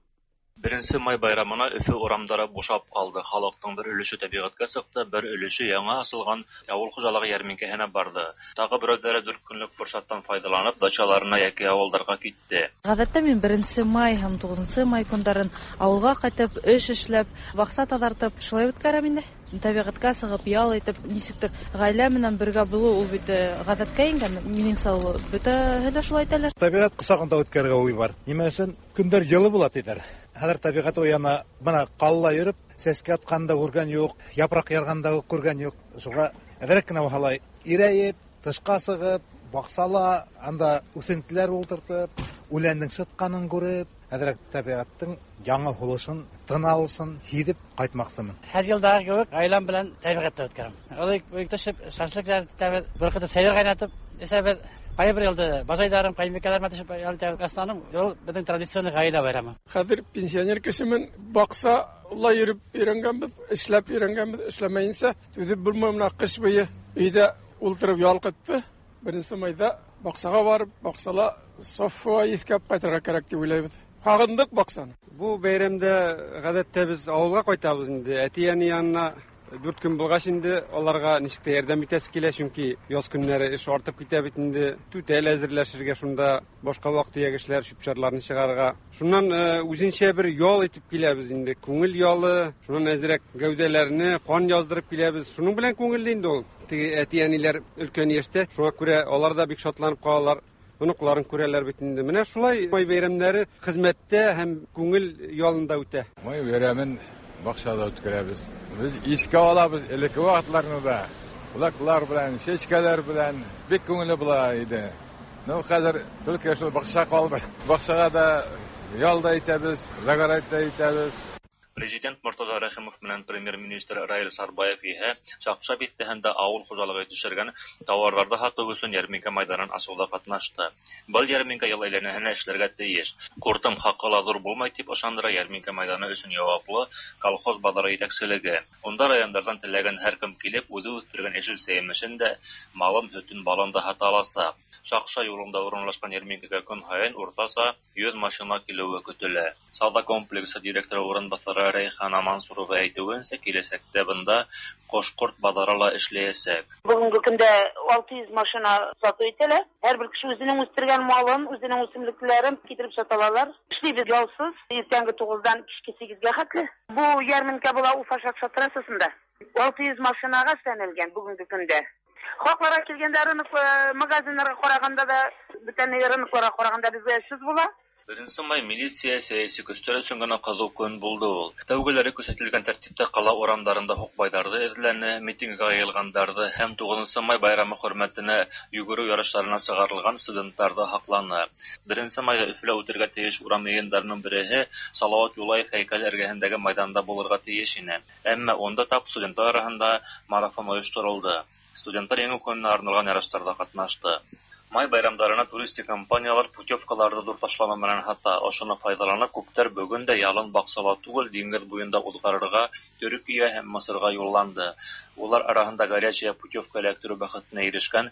Беренче май байрамына Өфе урамдары бушап калды. Халыкның бер өлеше табигатькә чыкты, бер өлеше яңа ачылган авыл хуҗалыгы ярминкәһенә барды. Тагы берәүләре дүрт көнлек форсаттан файдаланып, дачаларына яки авылдарга китте. Гадәттә мин беренче май һәм тугызынчы май көннәрен авылга кайтып, эш эшләп, бакча тазартып, шулай үткәрәм инде. Табигатькә чыгып, ял итеп, ничектер гаилә белән бергә булу ул бит э, гадәткә иңгән. Минемчә, ул бөтәһе дә шулай итәләр. Табигать кочагында үткәрергә уй бар. Нимә өчен? Көннәр җылы була диләр. Хәзер табигать уяна. Менә калла йөреп, сәскә атканын да күргән юк, япрак ярганын да күргән юк. Шуңа әзрәк кенә алай ирәеп, тышка чыгып, баксала, анда үсентеләр утыртып, үләннең шытканын күреп, әзрәк табигатьнең яңа һулышын, тын алышын һидеп кайтмакчымын. Һәр елдагы кебек гаиләм белән табигатьтә үткәрәм. Алай төшеп, шашлык итәбез, бөркетеп сәйдер кайнатып эчәбез. Кайбер елда бажайдарым, кайбикәләр төшеп ял итәбез. Основном ул безнең традиционный гаилә бәйрәме. Хәзер пенсионер кешемен, баксала йөреп өйрәнгәнбез, эшләп өйрәнгәнбез, эшләмәенчә түзеп булмый менә кыш буе өйдә ултырып ялкытты. Беренче майда бакчага барып, баксала саф һава искәп кайтырга кирәк дип уйлайбыз. Сагындык бакчаны. Бу бәйрәмдә гадәттә без авылга кайтабыз инде. Әти-әни янына дүрт көн булгач инде аларга ничек тә ярдәм итәсе килә, чөнки яз көннәре эш артып китә бит инде. Түтәл әзерләшергә шунда, башка вак-төяк эшләр, чүп-чарларны чыгарырга. Шуннан э, үзенчә бер ял итеп киләбез инде. Күңел ялы, шуннан әзрәк гәүдәләрне кан яздырып киләбез. Шуның белән күңелле инде ул. Теге әти-әниләр өлкән яшьтә, шуңа күрә алар да бик шатланып калалар. Оныкларын күрәләр бит инде. Менә шулай май бәйрәмнәре хезмәттә һәм күңел ялында үтә. Май бәйрәмен бакчада үткәрәбез. Без искә алабыз элекке вакытларны да. Улаклар белән, чәчкәләр белән бик күңелле була иде. Ну, хәзер только шул бакча калды. Бакчага да ял да итәбез, загорать та итәбез. Президент Мортаза Рәхимов белән премьер-министр Раил Сарбаев иһә Чакча бистәһендә авыл хуҗалыгы җитештергән товарларны һату өчен ярминкә майданын ачуда катнашты. Был ярминкә ел әйләнәһенә эшләргә тиеш. Куртым хакы ла зур булмай дип ышандыра ярминкә майданы өчен яваплы колхоз базары җитәкчелеге. Унда районнардан теләгән һәркем килеп, үзе үстергән яшелчә-җимешен дә, малын, һөтен, балын да һата алачак. Шакша юлында урынлашкан ярминкәгә көн һаен уртача 100 машина килүе көтелә. Сауда комплексы директоры урынбасары Рәйхана Мансурова әйтүенчә, киләчәктә бында кош-корт базары ла эшләячәк. Бүгенге көндә 600 машина сату ителә. Һәрбер кеше үзенең үстергән малын, үзенең үсемлекләрен китереп сата алалар. Эшлибез ялсыз, иртәнге 9-дан кичке 8-гә хәтле. Бу ярминкә була Уфа Шакша трассасында. 600 машинага эшләнелгән бүгенге көндә. Хакларга килгәндә рынок э, магазиннарга караганда да, бүтән рынокларга караганда безгә очсыз була. Беренче май милиция сәяси көчләр өчен генә кызу көн булды ул. Тәүгеләре күрсәтелгән тәртиптә кала урамнарында һукбайларҙы эҙләне, митингка йыйылғандарҙы һәм туғыҙынсы май байрамы хөрмәтенә йүгереү ярыштарына сығарылған студенттарҙы һаҡланы. Беренсе майҙа Өфөлә үтергә тейеш урам йыйындарының береһе Салауат Юлаев һәйкәле эргәһендәге майҙанда булырға тейеш ине. Әммә унда тап студенттар араһында марафон ойошторолдо. Студенттар Еңеү көнөнә арналған ярыштарҙа ҡатнашты. Май байрамдарына туристик компаниялар путевкаларҙы ҙур ташлама менән һата. Ошоно файҙаланып, күптәр бөгөн дә ялын баҡсала түгел, диңгеҙ буйында уҙғарырға Төркиә һәм Мысырға юлланды. Улар араһында горячая путевка эләктереү бәхетенә ирешкән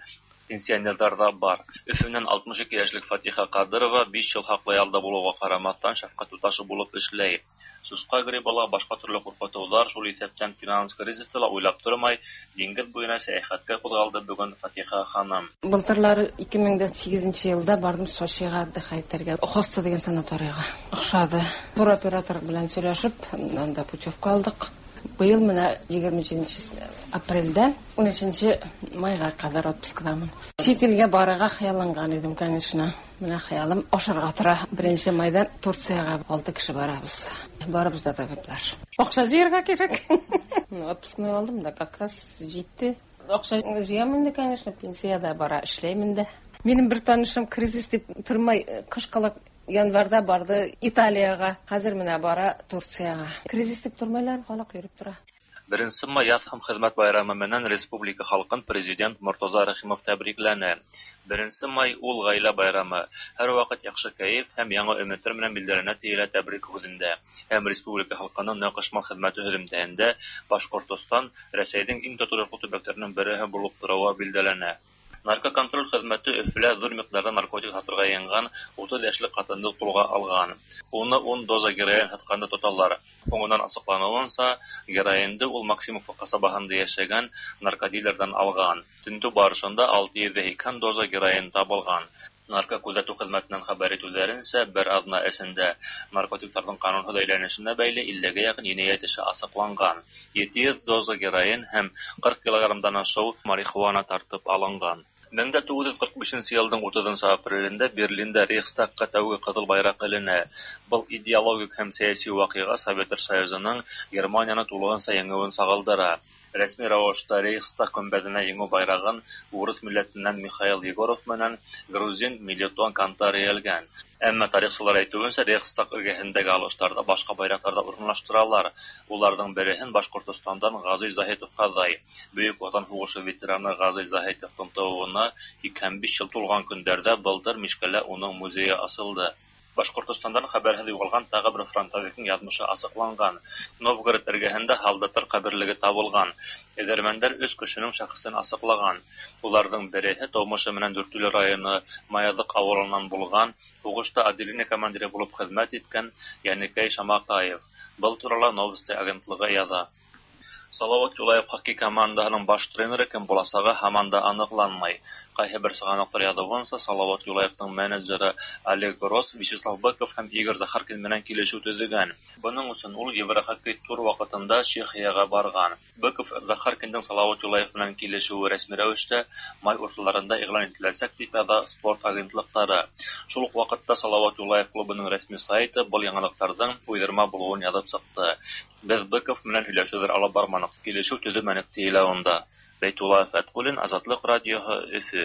пенсионерҙар ҙа бар. Өфөнән 62 йәшлек Фатиха Ҡадырова 5 йыл хаҡлы ялда булыуға ҡарамаҫтан, шәфҡәт туташы булып эшләй. Сусҡа грибы ла, башҡа төрлө ҡурҡытыуҙар, шул иҫәптән финанс кризисы ла уйлап тормай, диңгеҙ буйына сәйәхәткә ҡуҙғалды бөгөн Фатиха ханым. Былтырлары 2008 елда бардым Сочиға отдыхать итәргә. Хоста дигән санаторийга. Охшады. Туроператор белән сөйләшеп, анда путевка алдык. Быел менә 27 апрельдә 13 майга кадәр отпускадамын. Чит илгә барырга хыялланган идем, конечно. Менә хыялым ашарга тора. 1 майдан Турциягә 6 кеше барабыз. Барыбыз да табиблар. Акча җыярга кирәк. Отпускны алдым да, как раз җитте. Акча җыям инде, конечно, пенсиядә бара, эшләйм инде. Минем бер танышым кризис дип тормай, кышкылык январда барды Италиягә, хәзер менә бара Турциягә. Кризис дип тормайлар, халык йөреп тора. Беренсе май яҙ һәм хеҙмәт байрамы менән республика халҡын президент Мортаза Рәхимов тәбрикләне. Беренсе май ул ғаилә байрамы. Һәр ваҡыт яҡшы кәйеф һәм яңы өмөттәр менән билдәләнә тиелә тәбрик һүҙендә. Һәм республика халҡының ныҡышмал хеҙмәте һөҙөмтәһендә Башҡортостан Рәсәйҙең иң тоторлоҡло төбәктәренең береһе булып тороуы билдәләнә. Наркоконтроль хеҙмәте Өфөлә ҙур миҡдарҙа наркотик һатырға йыйынған 30 йәшлек ҡатынды ҡулға алған. Уны 10 доза героин һатҡанда тоталар. Һуңынан асыҡланыуынса, героинды ул Максимовка ҡасабаһында йәшәгән наркодилерҙан алған. Тентеү барышында 680 доза героин табылған. Наркокүҙәтеү хеҙмәтенән хәбәр итеүҙәренсә, бер аҙна эсендә наркотиктарҙың ҡанунһыҙ әйләнешенә бәйле 50-гә яҡын енәйәт эше асыҡланған. 700 доза героин һәм 40 килограммдан ашыу марихуана тартып алынған. 1945 йылдың 30 апрелендә Берлинда Рейхстагка тәүге ҡыҙыл байраҡ эленә. Был идеологик һәм сәйәси ваҡиға Советтар Союзының Германияны тулыһынса еңеүен сағылдыра. Рәсми рәүештә Рейхстаг көмбәҙенә еңеү байрағын урыҫ милләтенән Михаил Егоров менән грузин Мелитон Кантар элгән. Әммә тарихсылар әйтеүенсә, Рейхстаг эргәһендәге алыштарҙа башҡа байраҡтарҙа урынлаштыралар. Уларҙың береһен Башҡортостандан Ғазиз Заһитов ҡаҙай. Бөйөк Ватан һуғышы ветераны Ғазиз Заһитовтың тыуыуына 85 йыл тулған көндәрҙә былтыр Мишкәлә уның музейы асылды. Башҡортостандан хәбәрһеҙ юғалған тағы бер фронтовиктың яҙмышы асыҡланған. Новгород эргәһендә һалдаттар ҡәберлеге табылған. Эҙәрмәндәр 3 кешенең шәхесен асыҡлаған. Уларҙың береһе тыумышы менән Дүртөйлө районы Маяҙыҡ ауылынан булған, һуғышта отделение командиры булып хеҙмәт иткән Йәнекәй Шамаҡаев. Был турала Новости агентлығы яҙа. Салават Юлаев хоккей командаһының баш тренеры кем буласағы һаман да аныҡланмай. Ҡайһы бер сығанаҡтар яҙыуынса, Салават Юлаевтың менеджеры Олег Рос Вячеслав Быков һәм Игорь Захаркин менән килешеү төҙөгән. Бының өсөн ул Еврохоккей тур ваҡытында Чехияға барған. Быков Захаркиндың Салават Юлаев менән килешеүе рәсми рәүештә май урталарында иғлан ителәсәк тип яҙа спорт агентлыҡтары. Шул уҡ ваҡытта Салават Юлаев клубының рәсми сайты был яңылыҡтарҙың уйҙырма булыуын яҙып сыҡты. Беҙ Быков менән һөйләшеүҙәр алып барманыҡ, килешеү төҙөмәнек тиелә унда. Бәйтулла Фәтҡуллин, Азатлыҡ радиоһы, Өфө.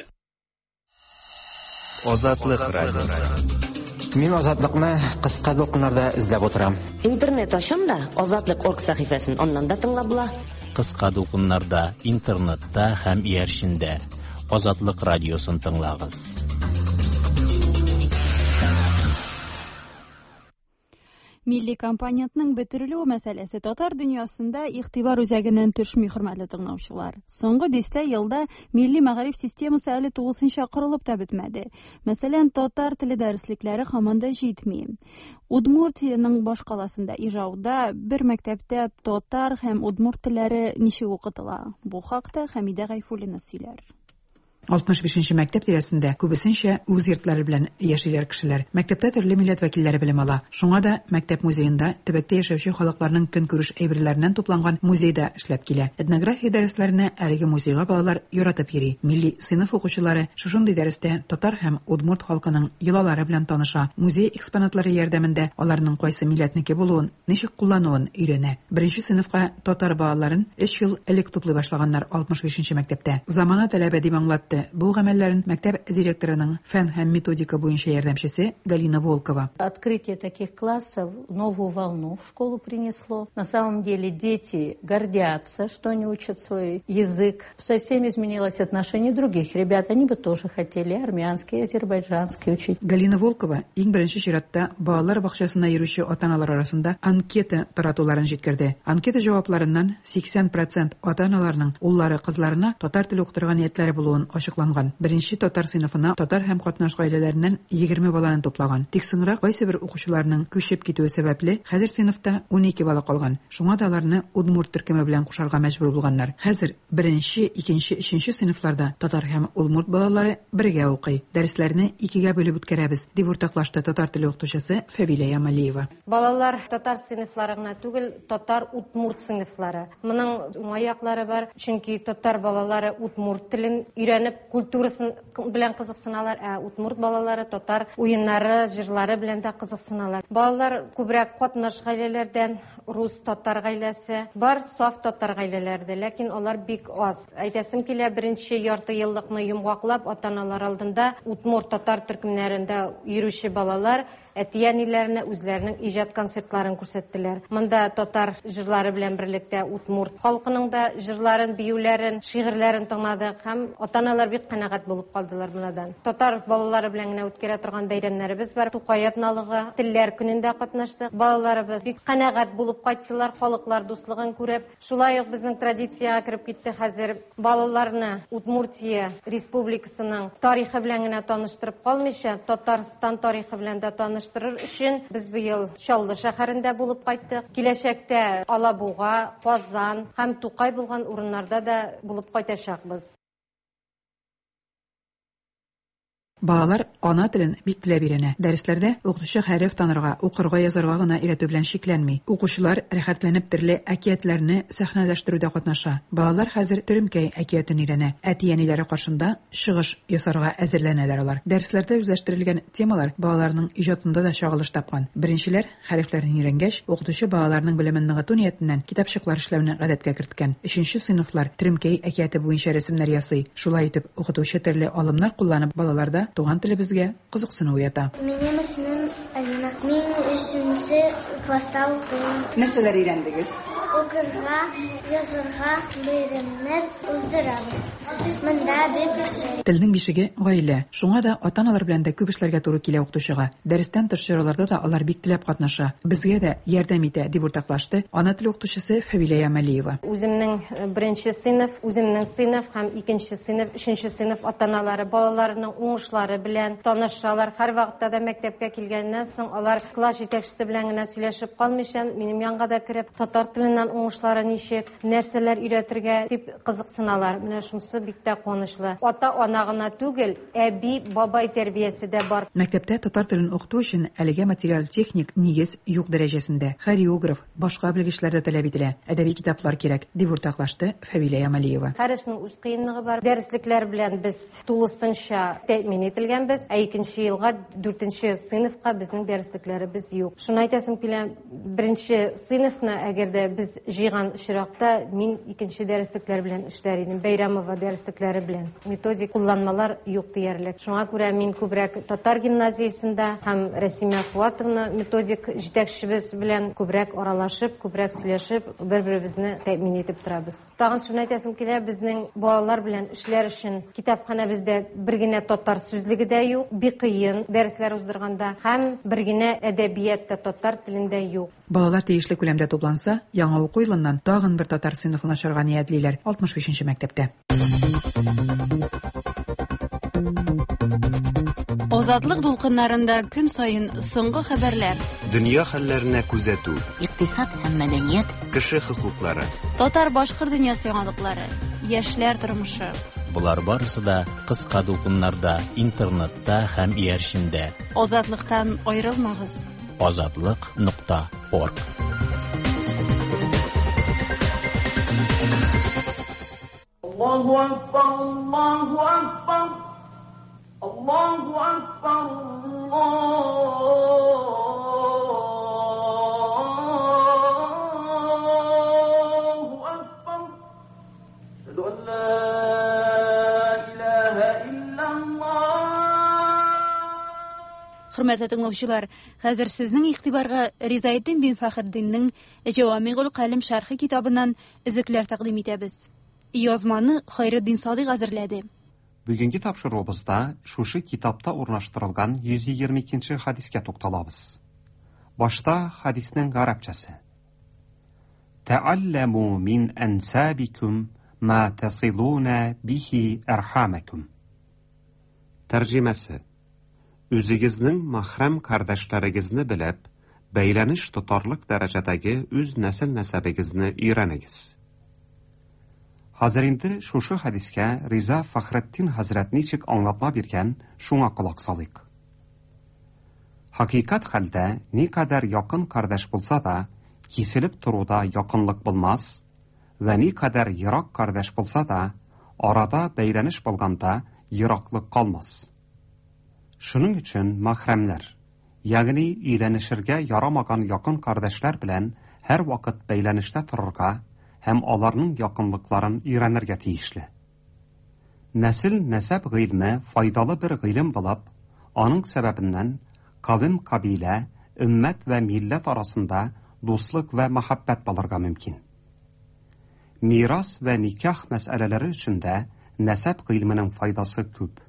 Азатлыҡ радиоһы. Мин Азатлыҡны ҡыҫҡа дулҡыннарҙа эҙләп ултырам. Интернет ашам да Азатлыҡ орг сәхифәсен аннан да тыңлап була. Ҡыҫҡа дулҡыннарҙа, интернетта һәм эйәрчендә Азатлыҡ радиосын тыңлағыҙ. Милли компонентның бөтөрөлөү мәсьәләсе татар дөньясында игътибар үзәгеннән төшмәй, хөрмәтле тыңлаучылар. Соңгы дистә елда милли мәгариф системасы әле тулысынча корылып та бетмәде. Мәсәлән, татар теле дәреслекләре һаман да җитми. Удмуртиянең баш каласында Ижауда бер мәктәптә татар һәм удмурт телләре ничек укытыла? Бу хакта Хәмидә Гайфуллина сөйләр. 65-нче мәктәп тирәсендә күбесенчә үз йортлары белән яшиләр кешеләр. Мәктәптә төрле милләт вәкилләре белем ала. Шуңа да мәктәп музеенда төбәктә яшәүче халыкларның көнкүреш әйберләреннән тупланган музей да эшләп килә. Этнография дәресләренә әлеге музейга балалар яратып йөри. Милли сыйныф укучылары шушындый дәрестә татар һәм удмурт халкының йолалары белән таныша. Музей экспонатлары ярдәмендә аларның кайсы милләтнеке булуын, ничек куллануын өйрәнә. Беренче сыйныфка татар балаларын 3 ел элек туплый башлаганнар 65-нче мәктәптә. Замана таләбе дип аңлатты бу гамәлләрен мәктәп директорының фән һәм методика буенча ярдәмчесе Галина Волкова. Открытие таких классов новую волну в школу принесло. На самом деле дети гордятся, что они учат свой язык. Совсем изменилось отношение других ребят. Они бы тоже хотели армянский, азербайджанский учить. Галина Волкова иң беренче чиратта балалар бакчасына йөрүче ата-аналар арасында анкета таратуларын җиткерде. Анкета җавапларыннан 80% ата-аналарның уллары кызларына татар теле укытырга ниятләре булуын ачыкланган. Беренче татар сыйныфына татар һәм катнаш гаиләләреннән 20 баланы туплаган. Тик соңрак кайсы бер укучыларның күчеп китүе сәбәпле, хәзер сыйныфта 12 бала калган. Шуңа да аларны удмурт төркеме белән кушарга мәҗбүр булганнар. Хәзер беренче, икенче, өченче сыйныфларда татар һәм удмурт балалары бергә укый. Дәресләрне икегә бүлеп үткәрәбез, дип уртаклашты татар теле укытучысы Фәвилә Ямалиева. Балалар татар сыйныфлары гына түгел, татар удмурт сыйныфлары. Моның уңай яклары бар, чөнки татар балалары удмурт телен өйрәнеп, культурасын белән кызыксыналар, ә удмурт балалары татар уеннары, җырлары белән дә кызыксыналар. Балалар күбрәк катнаш гаиләләрдән, рус татар гаиләсе, бар саф татар гаиләләре дә, ләкин алар бик аз. Әйтәсем килә, беренче ярты еллыкны йомгаклап, ата-аналар алдында удмурт татар төркемнәрендә йөрүче балалар әти-әниләренә үзләренең иҗат концертларын күрсәттеләр. Монда татар җырлары белән берлектә удмурт халкының да җырларын, биюләрен, шигырьләрен тыңладык һәм ата-аналар бик канәгать булып калдылар монадан. Татар балалары белән генә үткәрә торган бәйрәмнәребез бар. Тукай атналыгы, Телләр көнендә катнаштык. Балаларыбыз бик канәгать булып кайттылар, халыклар дуслыгын күреп. Шулай ук безнең традициягә кереп китте хәзер балаларны Удмуртия Республикасының тарихы белән генә таныштырып калмыйча, Татарстан тарихы белән дә таныштырыр өчен без быел Чаллы шәһәрендә булып кайттык. Киләчәктә Алабуга, Казан һәм Тукай булган урыннарда да булып кайтачакбыз. Балалар ана телен бик теләп өйрәнә. Дәресләрдә укытучы хәреф танырга, укырга, язарга гына өйрәтү белән чикләнми. Укучылар рәхәтләнеп төрле әкиятләрне сәхнәләштерүдә катнаша. Балалар хәзер Төремкәй әкиятен өйрәнә. Әти-әниләре каршында чыгыш ясарга әзерләнәләр алар. Дәресләрдә үзләштерелгән темалар балаларның иҗатында да чагылыш тапкан. Беренчеләр Хәрефләрен өйрәнгәч, укытучы балаларның белемен ныгыту ниятеннән китапчыклар эшләүне гадәткә керткән. Өченче сыйныфлар Төремкәй әкияте буенча рәсемнәр ясый. Шулай итеп, укытучы төрле алымнар кулланып балаларда туган телебезгә кызыксыну уята. Минем исемем Алина. Мин өченче класста укыйм. Нәрсәләр өйрәндегез? Укырга, язырга, бәйрәмнәр уздырабыз. Монда бик ошый. Телнең бишеге, гаилә. Шуңа да ата-аналар белән дә күп эшләргә туры килә укытучыга. Дәрестән тыш чараларда да алар бик теләп катнаша, безгә дә ярдәм итә, дип уртаклашты ана теле укытучысы Фәвилә Ямалиева. Үземнең беренче сыйныф, үземнең сыйныф һәм икенче сыйныф, өченче сыйныф ата-аналары балаларының уңышлары белән танышалар. Һәрвакытта да мәктәпкә килгәннән соң алар класс җитәкчесе белән генә сөйләшеп калмыйча, минем янга да кереп, татар теленнән уңышлары ничек, нәрсәләр өйрәтергә дип кызыксыналар. Менә шунысы бик тә куанычлы. Ата-ана гына түгел, әби, бабай тәрбиясе дә бар. Мәктәптә татар телен укыту өчен әлегә материаль-техник нигез юк дәрәҗәсендә. Хореограф, башка белгечләр дә таләп ителә, әдәби китаплар кирәк, дип уртаклашты Фәвилә Ямалиева. Һәр эшнең үз кыенлыгы бар. Дәреслекләр белән без тулысынча тәэмин ителгәнбез, ә икенче елга, дүртенче сыйныфка безнең дәреслекләребез юк. Шуны әйтәсем килә, Беренче сыйныфны, әгәр дә без җыйган очракта, мин икенче дәреслекләр белән эшләр идем, Бәйрәмова дәреслекләре белән. Методик кулланмалар юк диярлек. Шуңа күрә мин күбрәк татар гимназиясендә һәм Рәсимә Фуатовна методик җитәкчебез белән күбрәк аралашып, күбрәк сөйләшеп, бер-беребезне тәэмин итеп торабыз. Тагын шуны әйтәсем килә, безнең балалар белән эшләр өчен китапханәбездә бер генә татар сүзлеге дә юк, бик кыен дәресләр уздырганда, һәм бер генә әдәбият та татар телендә юк. Балалар тиешле күләмдә тупланса, яңа уку елыннан тагын бер татар сыйныфын ачарга ниятлиләр 65 нче мәктәптә. Азатлык дулкыннарында көн саен соңгы хәбәрләр. Дөнья хәлләренә күзәтү. Икътисад һәм мәдәният. Кеше хокуклары. Татар-башкорт дөньясы яңалыклары. Яшьләр тормышы. Болар барысы да кыска дулкыннарда, интернетта һәм иярчендә. Азатлыктан аерылмагыз. Азатлык нокта орг. Аллаһу акбар, Аллаһу акбар, Аллаһу акбар, Аллаһу акбар. Әшһәду ан ла илаһа иллаллаһ. Хөрмәтле тыңлаучылар, хәзер сезнең игътибарга Ризаэддин бин Фәхретдиннең Җәвамигуль Калем шәрхе китабыннан өзекләр тәкъдим итәбез. Язманы Хайретдин Садыйк әзерләде. Бүгенге тапшыруыбызда шушы китапта урнаштырылган 122 нче хәдискә тукталабыз. Башта хәдиснең гарәпчәсе. Тәалләму мин әнсабикум ма тасилуна бихи әрхамәкум. Тәрҗемәсе. Үзегезнең мәхрәм кардәшләрегезне белеп, бәйләнеш тотарлык дәрәҗәдәге үз нәсел-нәсәбегезне өйрәнегез. Хәзер инде шушы хәдискә Риза Фәхретдин хәзрәт ничек аңлатма биргән, шуңа колак салыйк. Хакыйкать хәлдә никадәр якын кардәш булса да, киселеп торуда якынлык булмас, вә никадәр ерак кардәш булса да, арада бәйләнеш булганда ераклык калмас. Шуның өчен мәхрәмнәр, ягъни өйләнешергә ярамаган якын кардәшләр белән һәрвакыт бәйләнештә торырга һәм аларның якынлыкларын өйрәнергә тиешле. Нәсел-нәсәп гыйльме файдалы бер гыйлем булып, аның сәбәбеннән кавем-кабилә, өммәт вә милләт арасында дуслык вә мәхәббәт булырга мөмкин. Мирас вә никах мәсьәләләре өчен дә нәсәп гыйльменең файдасы күп.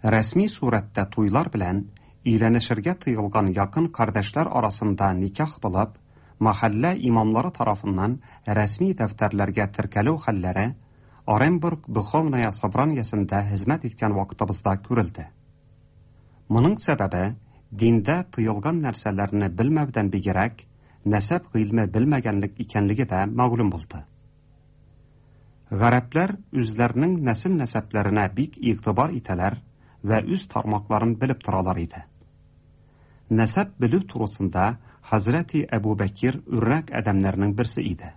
Рәсми сурәттә туйлар белән өйләнешергә тыелган якын кардәшләр арасында никах булып, мәхәллә имамлары тарафыннан рәсми дәфтәрләргә теркәлү хәлләре Оренбург Духовная собраниясендә хезмәт иткән вакытыбызда күрелде. Моның сәбәбе, диндә тыелган нәрсәләрне белмәүдән бигрәк, нәсәп гыйльме белмәгәнлек икәнлеге дә мәгълүм булды. Гарәпләр үзләренең нәсел-нәсәпләренә бик игътибар итәләр вә үз тармакларын белеп торалар иде. Нәсәп белү турысында хәзрәти Әбу Бәкир үрнәк адәмнәрнең берсе иде.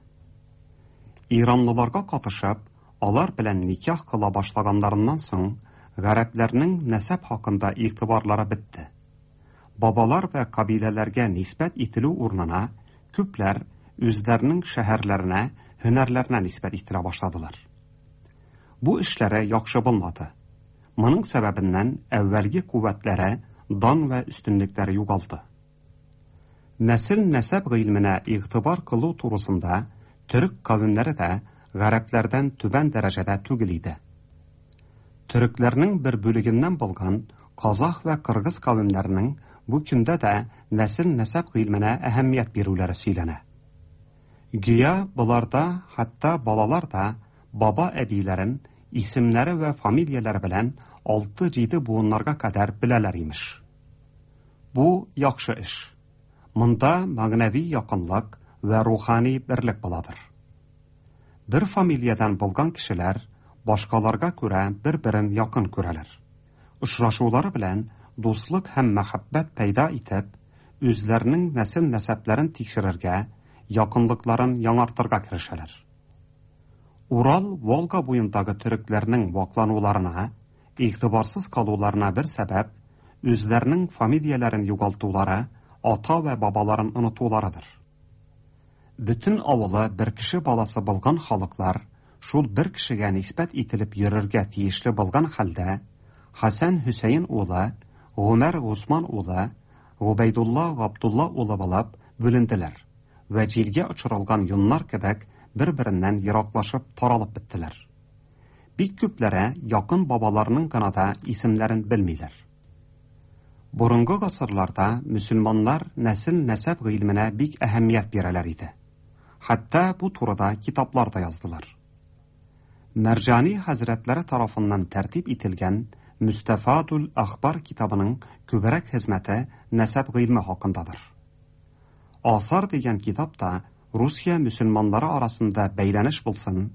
Иранлыларга катышып, алар белән никах кыла башлаганнарыннан соң, гарәпләрнең нәсәп хакында игътибарлары бетте. Бабалар вә кабиләләргә нисбәт ителү урынына күпләр үзләренең шәһәрләренә, һөнәрләренә нисбәт ителә башладылар. Бу эшләре яхшы булмады. Моның сәбәбеннән әүвәлге куәтләре, дан вә өстенлекләре югалды. Нәсел-нәсәп гыйльменә игътибар кылу турысында төрек кавемнәре дә гарәпләрдән түбән дәрәҗәдә түгел иде. Төрекләрнең бер бүлегеннән булган казах вә кыргыз кавемнәренең бу көндә дә нәсел-нәсәп гыйльменә әһәмият бирүләре сөйләнә. Гүя боларда хәтта балалар да баба-әбиләрен исемнәре вә фамилияләре белән алты-җиде буыннарга кадәр беләләр, имеш. Бу яхшы эш. Монда мәгънәви якынлык вә рухани берлек буладыр. Бер фамилиядән булган кешеләр башкаларга күрә бер-берен якын күрәләр. Очрашулары белән дуслык һәм мәхәббәт пәйда итеп, үзләренең нәсел-нәсәпләрен тикшерергә, якынлыкларын яңартырга керешәләр. Урал-Волга буендагы төрекләрнең ваклануларына, игътибарсыз калуларына бер сәбәп, үзләренең фамилияләрен югалтулары, ата вә бабаларын онытуларыдыр. Бөтен авылы бер кеше баласы булган халыклар шул бер кешегә нисбәт ителеп йөрергә тиешле булган хәлдә, Хәсән Хөсәен улы, Гомәр Госман улы, Гобәйдулла Габдулла улы булып бүленделәр вә җилгә очырылган йоннар кебек бер-береннән ераклашып таралып беттеләр. Бик күпләре якын бабаларының гына да исемнәрен белмиләр. Борынгы гасырларда мөселманнар нәсел-нәсәп гыйльменә бик әһәмият бирәләр иде. Хәтта бу турыда китаплар да яздылар. Мәрҗани хәзрәтләре тарафыннан тәртип ителгән Мөстәфадул әхбар китабының күбрәк хезмәте нәсәп гыйльме хакындадыр. Асар дигән китап та Русия мөселманнары арасында бәйләнеш булсын,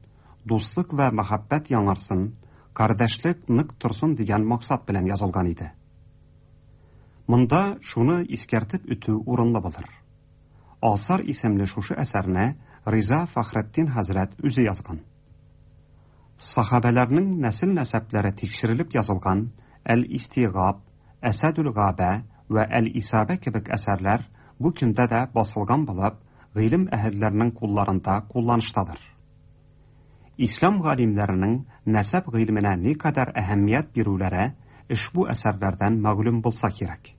дуслык вә мәхәббәт яңарсын, кардәшлек нык торсын дигән максат белән язылган иде. Монда шуны искәртеп үтү урынлы булыр. Асар исемле шушы әсәрне Риза Фәхретдин хәзрәт үзе язган. Сахабәләрнең нәсел-нәсәпләре тикшерелеп язылган Әл-Истигаб, Әсәдүл-Габә вә Әл-Исабә кебек әсәрләр бу көндә дә басылган булып, гыйлем әһелләренең кулларында кулланыштадыр. Ислам галимнәренең нәсәп гыйльменә никадәр әһәмият бирүләре ошбу әсәрләрдән мәгълүм булса кирәк.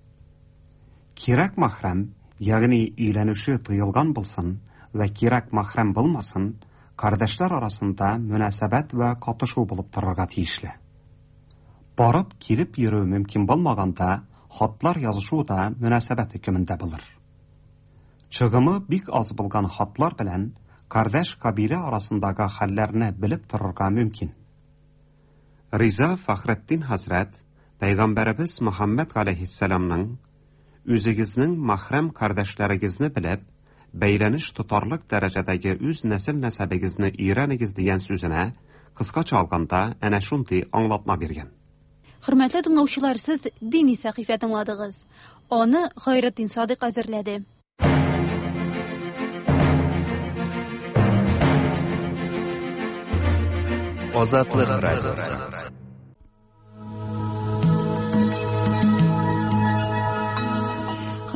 Кирәк мәхрәм, ягъни өйләнүче тыелган булсын вә кирәк мәхрәм булмасын, кардәшләр арасында мөнәсәбәт вә катышу булып торырга тиешле. Барып килеп йөрү мөмкин булмаганда, хатлар язышу да мөнәсәбәт хөкемендә булыр. Чыгымы бик аз булган хатлар белән кардәш-кабилә арасындагы хәлләрне белеп торырга мөмкин. Риза Фәхретдин хәзрәт пәйгамбәребез Мөхәммәд галәйһиссәламның, Үзегезнең мәхрәм кардәшләрегезне белеп, бәйләнеш тотарлык дәрәҗәдәге үз нәсел-нәсәбегезне өйрәнегез дигән сүзенә, кыскача алганда, әнә шундый аңлатма биргән. Хөрмәтле тыңлаучылар, сез дини сәхифә тыңладыгыз. Аны Хайретдин Садыйк әзерләде. Азатлык радиосы.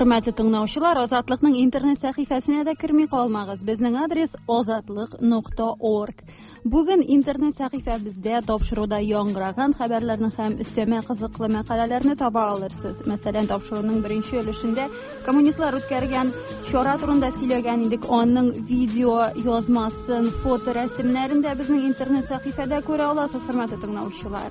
Хөрмәтле тыңлаучылар, Азатлыкның интернет сәхифәсенә дә керми калмагыз. Безнең адрес azatliq.org. Бүген интернет сәхифәбездә тапшыруда яңгыраган хәбәрләрне һәм өстәмә кызыклы мәкаләләрне таба алырсыз. Мәсәлән, тапшыруның беренче өлешендә коммунистлар үткәргән чара турында сөйләгән идек. Аның видео язмасын, фоторәсемнәрен дә безнең интернет сәхифәдә күрә аласыз, хөрмәтле тыңлаучылар.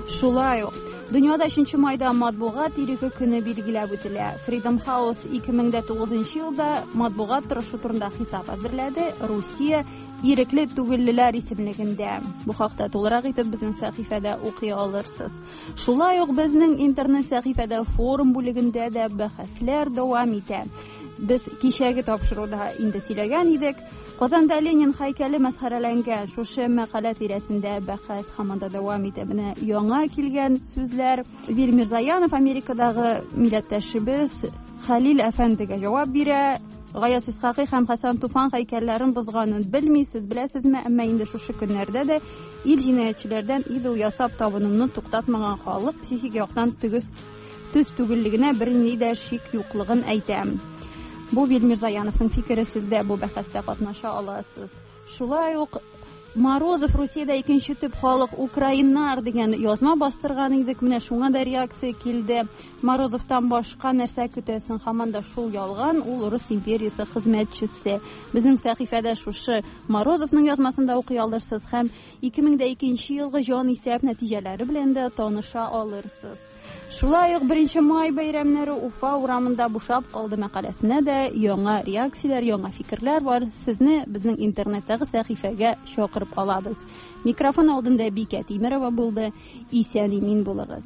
Шулай ук дөньяда 3 майда матбугат иреге көне билгеләп үтелә. Freedom House 2009 елда матбугат торышы турында хисап әзерләде. Русия ирекле түгеллеләр исемлегендә. Бу хакта тулырак итеп безнең сәхифәдә укый алырсыз. Шулай ук безнең интернет сәхифәдә форум бүлегендә дә бәхәсләр дәвам итә. Без кичәге тапшыруда инде сөйләгән идек. Казанда Ленин һәйкәле мәсхәрәләнгән. Шушы мәкалә тирәсендә бәхәс һаман да дәвам итә. Менә яңа килгән сүзләр. Вил Мирзаянов, Америкадагы милләттәшебез, Хәлил әфәндегә җавап бирә. Гаяз Исхакый һәм Хәсән Туфан һәйкәлләрен бозганын белми, сез беләсезме? Әмма инде шушы көннәрдә дә ил җинаятьчеләрдән идол ясап табынуны туктатмаган халык психик яктан төгез төз түгеллегенә бернинди дә шик юклыгын әйтә. Бу Вил Мирзаяновның фикере, сез дә бу бәхәстә катнаша аласыз. Шулай ук Морозов Русиядә икенче төп халык украиннар дигән язма бастырган идек. Менә шуңа да реакция килде. Морозовтан башка нәрсә көтәсең? Һаман да шул ялган, ул Рус империясе хезмәтчесе. Безнең сәхифәдә шушы Морозовның язмасын да укый алырсыз һәм 2002 елгы җанисәп нәтиҗәләре белән дә таныша алырсыз. Шулай ук 1 май бәйрәмнәре Уфа урамында бушап калды мәкаләсенә дә яңа реакцияләр, яңа фикерләр бар. Сезне безнең интернеттагы сәхифәгә чакырып калабыз. Микрофон алдында Бикә Тимерова булды. Исән-имин булыгыз.